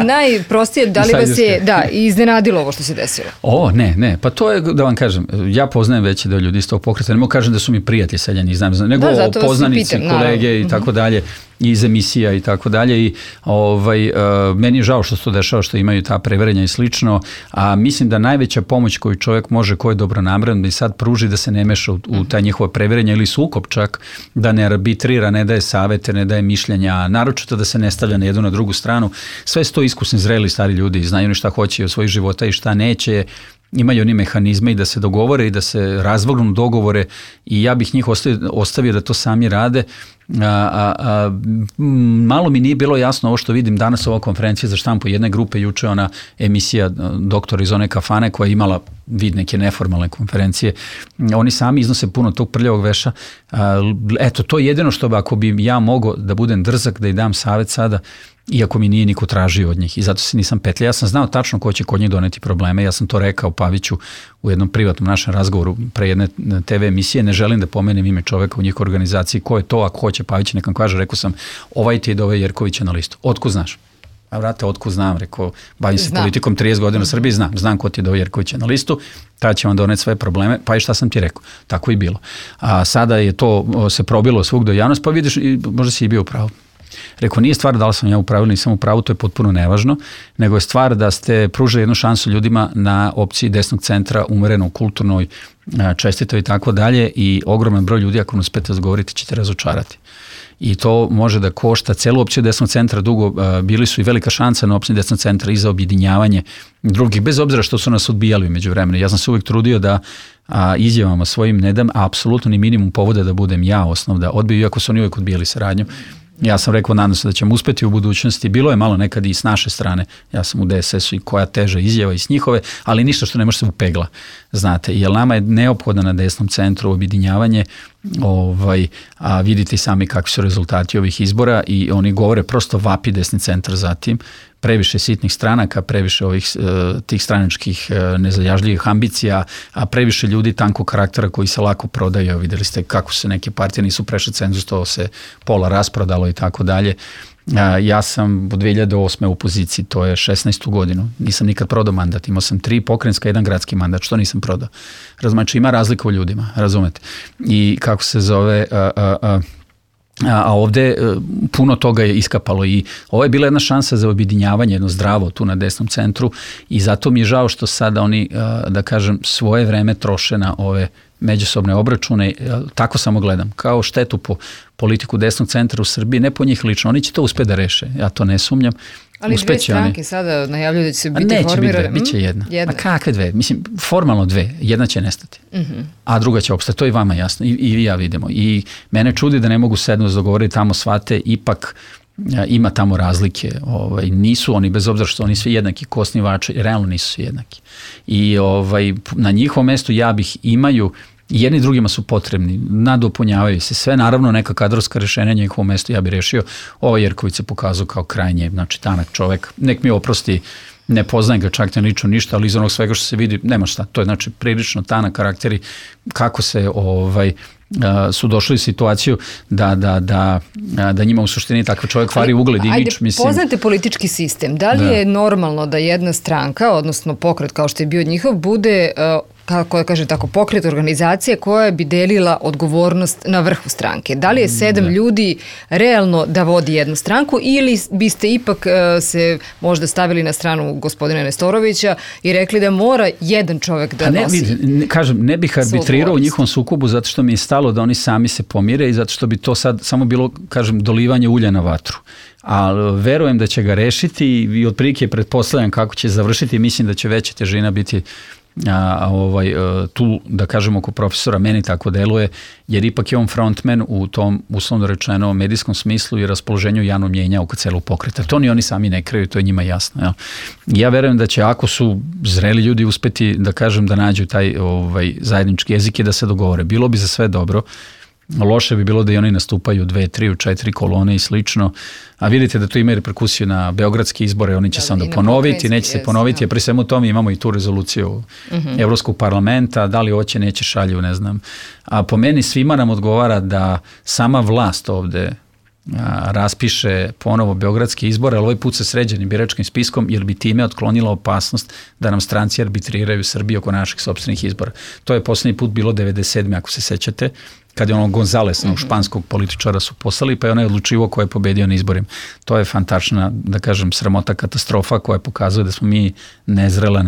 B: Najprostije, da li vas je iznenadilo ovo što se desilo?
C: Ne, pa to je, da vam kažem, ja poznajem veći deo ljudi iz tog pokreta, ne mogu kažem da su mi prijatelji seljani, znam, nego poznanici, kolege i tako dalje, iz emisija i tako dalje i meni je žao što se to dešava, što imaju ta preverenja i slično, a mislim da najveća pomoć koju čovjek može, ko je dobronameran, da i sad pruži da se ne meša u taj njihova preverenja ili sukob čak, da ne arbitrira, ne daje savete, ne daje mišljenja, naročito da se ne stavlja na jednu na drugu stranu. Sve su to iskusni, zreli, stari ljudi, znaju oni šta hoće od svojih života i šta neće, imaju oni mehanizme i da se dogovore i da se razvrgnu dogovore i ja bih njih ostavio da to sami rade. Malo mi nije bilo jasno ovo što vidim danas ova konferencija za štampu jedne grupe, juče ona emisija doktora iz one kafane koja je imala vid neke neformalne konferencije. Oni sami iznose puno tog prljavog veša. Eto, to je jedino što ako bi ja mogao da budem drzak, da i dam savjet sada, iako mi nije niko tražio od njih i zato se nisam petljao. Ja sam znao tačno ko će kod njih doneti probleme, ja sam to rekao Paviću u jednom privatnom našem razgovoru pre jedne TV emisije, ne želim da pomenem ime čoveka u njihovoj organizaciji, ko je to, ako hoće Pavić nekam kaže, rekao sam, ovaj ti je doveo Jerkovića na listu. Otkud znaš? A vrate, otkud znam, rekao, bavim se politikom 30 godina u Srbiji, znam ko ti je doveo Jerkovića na listu, tada će vam doneti sve probleme, pa i šta sam ti rekao, tako i bilo. A sada je to se probilo svugdje do javnosti, pa vidiš, možda si i bio u pravu. Rekao, nije stvar da li sam ja u pravu ili nisam u pravu, to je potpuno nevažno, nego je stvar da ste pružili jednu šansu ljudima na opciji desnog centra, umereno, kulturnoj, čestitoj i tako dalje i ogroman broj ljudi, ako ne uspete razgovoriti, ćete razočarati. I to može da košta celu opciju desnog centra dugo, bili su i velika šansa na opciji desnog centra i za objedinjavanje drugih, bez obzira što su nas odbijali među vremenu. Ja sam se uvijek trudio da izjavama svojim ne dam apsolutno ni minimum povoda da budem ja osnov da odbiju, iako su oni uvijek odbijali saradnju. Ja sam rekao, nadam se da ćemo uspeti u budućnosti. Bilo je malo nekad i s naše strane. Ja sam u DSS-u i koja teža izjava i s njihove, ali ništa što ne može se upegla. Znate, jer nama je neophodno na desnom centru objedinjavanje, a vidite sami kakvi su rezultati ovih izbora i oni govore prosto vapi desni centar za tim. Previše sitnih stranaka, previše tih stranačkih nezajažljivih ambicija, a previše ljudi tankog karaktera koji se lako prodaju. Vidjeli ste kako se neke partije nisu prešle cenzus, to se pola rasprodalo i tako dalje. Ja sam od 2008. u poziciji, to je 16. godinu. Nisam nikad prodao mandat, imao sam 3 pokrajinska, 1 gradski mandat, što nisam prodao. Znači ima razlika u ljudima, razumete. I kako se zove... A ovdje puno toga je iskapalo i ovo je bila jedna šansa za objedinjavanje, jedno zdravo tu na desnom centru i zato mi je žao što sada oni, da kažem, svoje vreme troše na ove međusobne obračune, tako samo gledam, kao štetu po politiku desnog centra u Srbiji, ne po njih lično, oni će to uspjeti da reše, ja to ne sumnjam.
B: Ali dve stranke sada najavljuju da će se biti formirane.
C: Neće biti dve, bit će jedna. A kakve dve? Mislim, formalno dve, jedna će nestati, a druga će opstati, to je vama jasno i ja vidimo. I mene čudi da ne mogu sedno dogovoriti tamo shvate, ipak ima tamo razlike, nisu oni, bez obzira što oni svi jednaki kosnivači, realno nisu svi jednaki. I na njihovom mestu imaju, jedni drugima su potrebni, nadopunjavaju se sve, naravno neka kadrovska rješenja na njihovom mestu ja bih rešio. Ovo Jerković se pokazao kao krajnje, znači tanak čovek, nek mi oprosti, ne poznajem ga čak ne lično ništa, ali iz onog svega što se vidi, nema šta, to je znači prilično tanak karakteri, kako se su došli u situaciju da njima u suštini takav čovjek kvari ugled i imidž.
B: Poznate politički sistem, da li je normalno da jedna stranka, odnosno pokret kao što je bio njihov, bude, kako kaže tako, pokret organizacije koja bi delila odgovornost na vrhu stranke? Da li je 7 ljudi realno da vodi jednu stranku ili biste ipak se možda stavili na stranu gospodina Nestorovića i rekli da mora jedan čovjek da nosi?
C: Ne bih arbitrirao u njihovom sukobu zato što mi je stalo da oni sami se pomire i zato što bi to sad samo bilo, dolivanje ulja na vatru. Ali verujem da će ga rešiti i otprilike pretpostavljam kako će završiti. Mislim da će veća težina biti tu, da kažemo, oko profesora, meni tako deluje, jer ipak je on frontman u tom, uslovno rečeno, medijskom smislu i raspoloženju javnog mjenja oko celog pokreta. To ni oni sami ne kriju, to je njima jasno. Ja, ja verujem da će, ako su zreli ljudi, uspeti, da kažem, da nađu taj zajednički jezik i da se dogovore. Bilo bi za sve dobro. Loše bi bilo da i oni nastupaju 2, 3, 4 kolone i slično, a vidite da to ima reperkusiju na beogradske izbore, oni će se onda ponoviti, neće se ponoviti, a pri svemu tome imamo i tu rezoluciju Evropskog parlamenta, da li hoće, neće, šalju, ne znam. A po meni svima nam odgovara da sama vlast ovde raspiše ponovo beogradske izbore, ali ovaj put sa sređenim biračkim spiskom, jer bi time otklonila opasnost da nam stranci arbitriraju Srbiju oko naših sopstvenih izbora. To je poslednji put bilo 97. ako se sećate, kad je Gonzalesa, španskog političara, su poslali, pa je onaj odlučivo ko je pobedio na izborima. To je fantastična, da kažem, sramota, katastrofa koja pokazuje da smo mi nezrela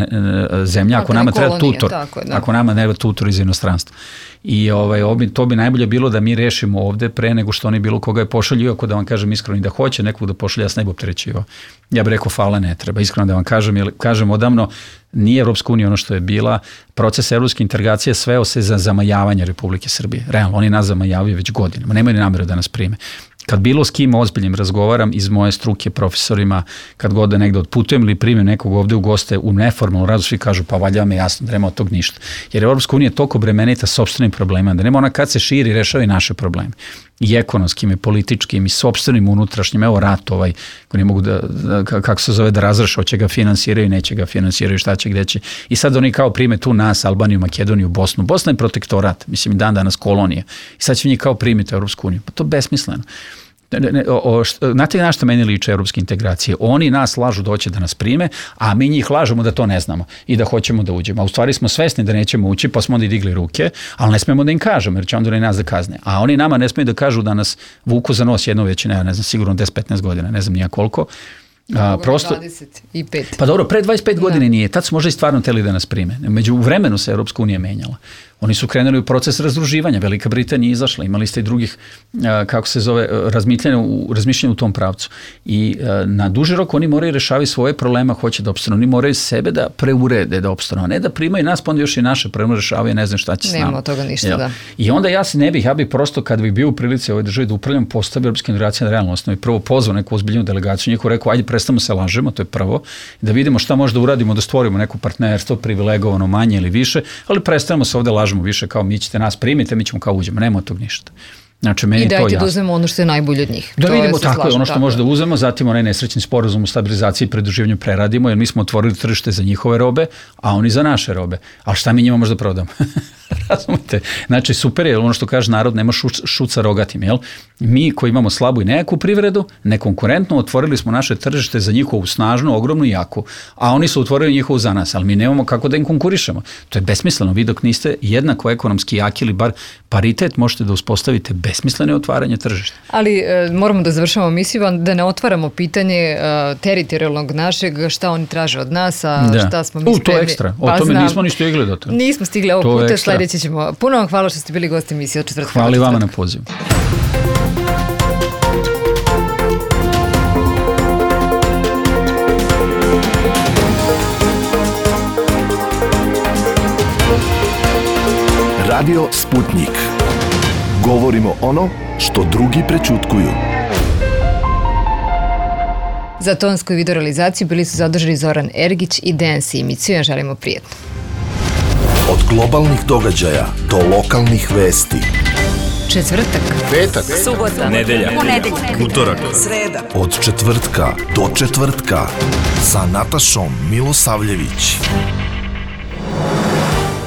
C: zemlja, ako nama treba tutor, ako nama ne treba tutor iz inostranstva. I to bi najbolje bilo da mi rešimo ovde pre nego što oni bilo koga je pošalju, iako da vam kažem iskreno, da hoće nekog da pošalje, ja se ne bi opterećivao. Ja bih rekao, hvala, ne treba. Iskreno da vam kažem, jer kažem odavno, nije Evropska unija ono što je bila, proces evropske integracije sveo se za zamajavanje Republike Srbije. Realno, oni nas zamajavaju već godinama, nemaju ni nameru da nas prime. Kad bilo s kim ozbiljnim razgovaram iz moje struke, profesorima, kad god da negde otputujem ili primim nekog ovde u goste u neformalnu radu, svi kažu, pa valjda vam je jasno da nema od tog ništa. Jer Evropska unija je toliko bremenita sopstvenim problemima, da nema ona kad se širi rešava i naše probleme. I ekonomskim, i političkim, i sopstvenim, unutrašnjim, evo rat ko ne mogu kako se zove, da razreše, hoće ga finansiraju, neće ga finansiraju, šta će, gde će. I sad oni kao prime tu nas, Albaniju, Makedoniju, Bosnu. Bosna je protektorat, mislim, danas kolonija. I sad će njih kao primiti Evropsku uniju. Pa to je besmisleno. Znate na što meni liče evropske integracije? Oni nas lažu da hoće da nas prime, a mi njih lažemo da to ne znamo i da hoćemo da uđemo. A u stvari smo svesni da nećemo ući, pa smo onda i digli ruke, ali ne smemo da im kažemo, jer će onda i nas da kazne. A oni nama ne smiju da kažu da nas vuku za nos jedno već, ne znam, sigurno 10-15 godina, ne znam nija koliko. Prosto,
B: 25.
C: Pa dobro, pre 25 godine nije, tad su možda i stvarno hteli da nas prime. Među vremenu se Evropska unija menjala. Oni su krenuli u proces razdruživanja, Velika Britanija izašla, imali ste i drugih, kako se zove, razmišljanja u tom pravcu. I na duži rok oni moraju rešavati svoje problema, hoće da opstanu. Oni moraju sebe da preurede da opstanu, a ne da primaju nas, pa onda još i naše probleme rešavaju, ne znam šta će s nama.
B: Nema od toga ništa, da.
C: I onda ja bih prosto, kad bih bio u prilici ovoj državi da upravljam postavio Evropske integracije na realnoj osnovi, prvo pozvao neku ozbiljnu delegaciju, njihov rekao, ajde prestanemo se lažemo, to je prvo, da vidimo šta možda uradimo, da stvorimo neko partnerstvo, privilegovano manje ili više, ali prestanemo se ovde lažemo više kao mi ćete nas primite, mi ćemo kao uđemo, nema od tog ništa. Znači, meni
B: i dajte
C: to jasno.
B: Da uzmemo ono što je najbolje od njih.
C: Da vidimo tako je, ono što možda uzmemo, zatim onaj nesrećni sporazum u stabilizaciji i pridruživanju preradimo, jer mi smo otvorili tržište za njihove robe, a oni za naše robe. A šta mi njima možda prodamo? Razumite? Znači, super je, ono što kaže narod, nema šut sa rogatim, jel? Mi koji imamo slabu i nejaku privredu, nekonkurentno, otvorili smo naše tržište za njihovu snažnu, ogromnu i jaku, a oni su otvorili njihovu za nas, ali mi nemamo kako da im konkurišemo. To je besmisleno, vi dok niste jednako ekonomski jaki ili bar paritet, možete da uspostavite besmislene otvaranje tržišta.
B: Ali moramo da završamo emisiju, da ne otvaramo pitanje teritorijalnog našeg, šta oni traže od nas, a šta smo mi spremni.
C: To je ekstra, o tome nismo ni stigli do toga.
B: Nismo stigli ovog puta, sledeće ćemo. Puno vam hvala što ste bili gosti emisije od četvrtka.
C: Hvala i vama na pozivu.
A: Radio Sputnik. Govorimo ono što drugi prećutkuju.
B: Za tonsku i video realizaciju bili su zaduženi Zoran Ergić i Dejan Simić. Svima želimo prijetno.
A: Od globalnih događaja do lokalnih vesti.
B: Četvrtak,
A: Petak,
B: subota,
D: nedelja,
B: ponedeljak,
D: utorak,
E: sreda.
A: od četvrtka do četvrtka sa Natašom Milosavljević.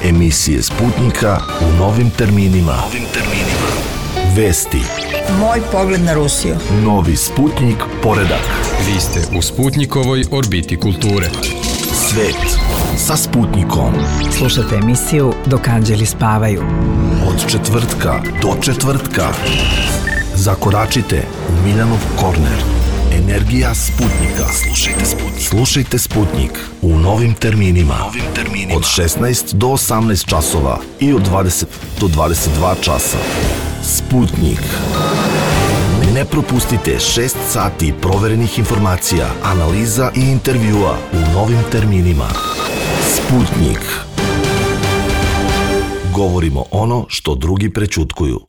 A: Emisije Sputnika u novim terminima. Vesti.
E: Moj pogled na Rusiju.
A: Novi Sputnik poredak.
D: Vi ste u Sputnikovoj orbiti kulture.
A: Svet sa Sputnikom.
E: Slušajte emisiju Dok anđeli spavaju.
A: Od četvrtka do četvrtka. Zakoračite u Miljanov korner. Energija Sputnika. Slušajte Sputnik u novim terminima. Od 16 do 18 časova i od 20 do 22 časa. Sputnik. Ne propustite 6 sati proverenih informacija, analiza i intervjua u novim terminima. Sputnik. Govorimo ono što drugi prećutkuju.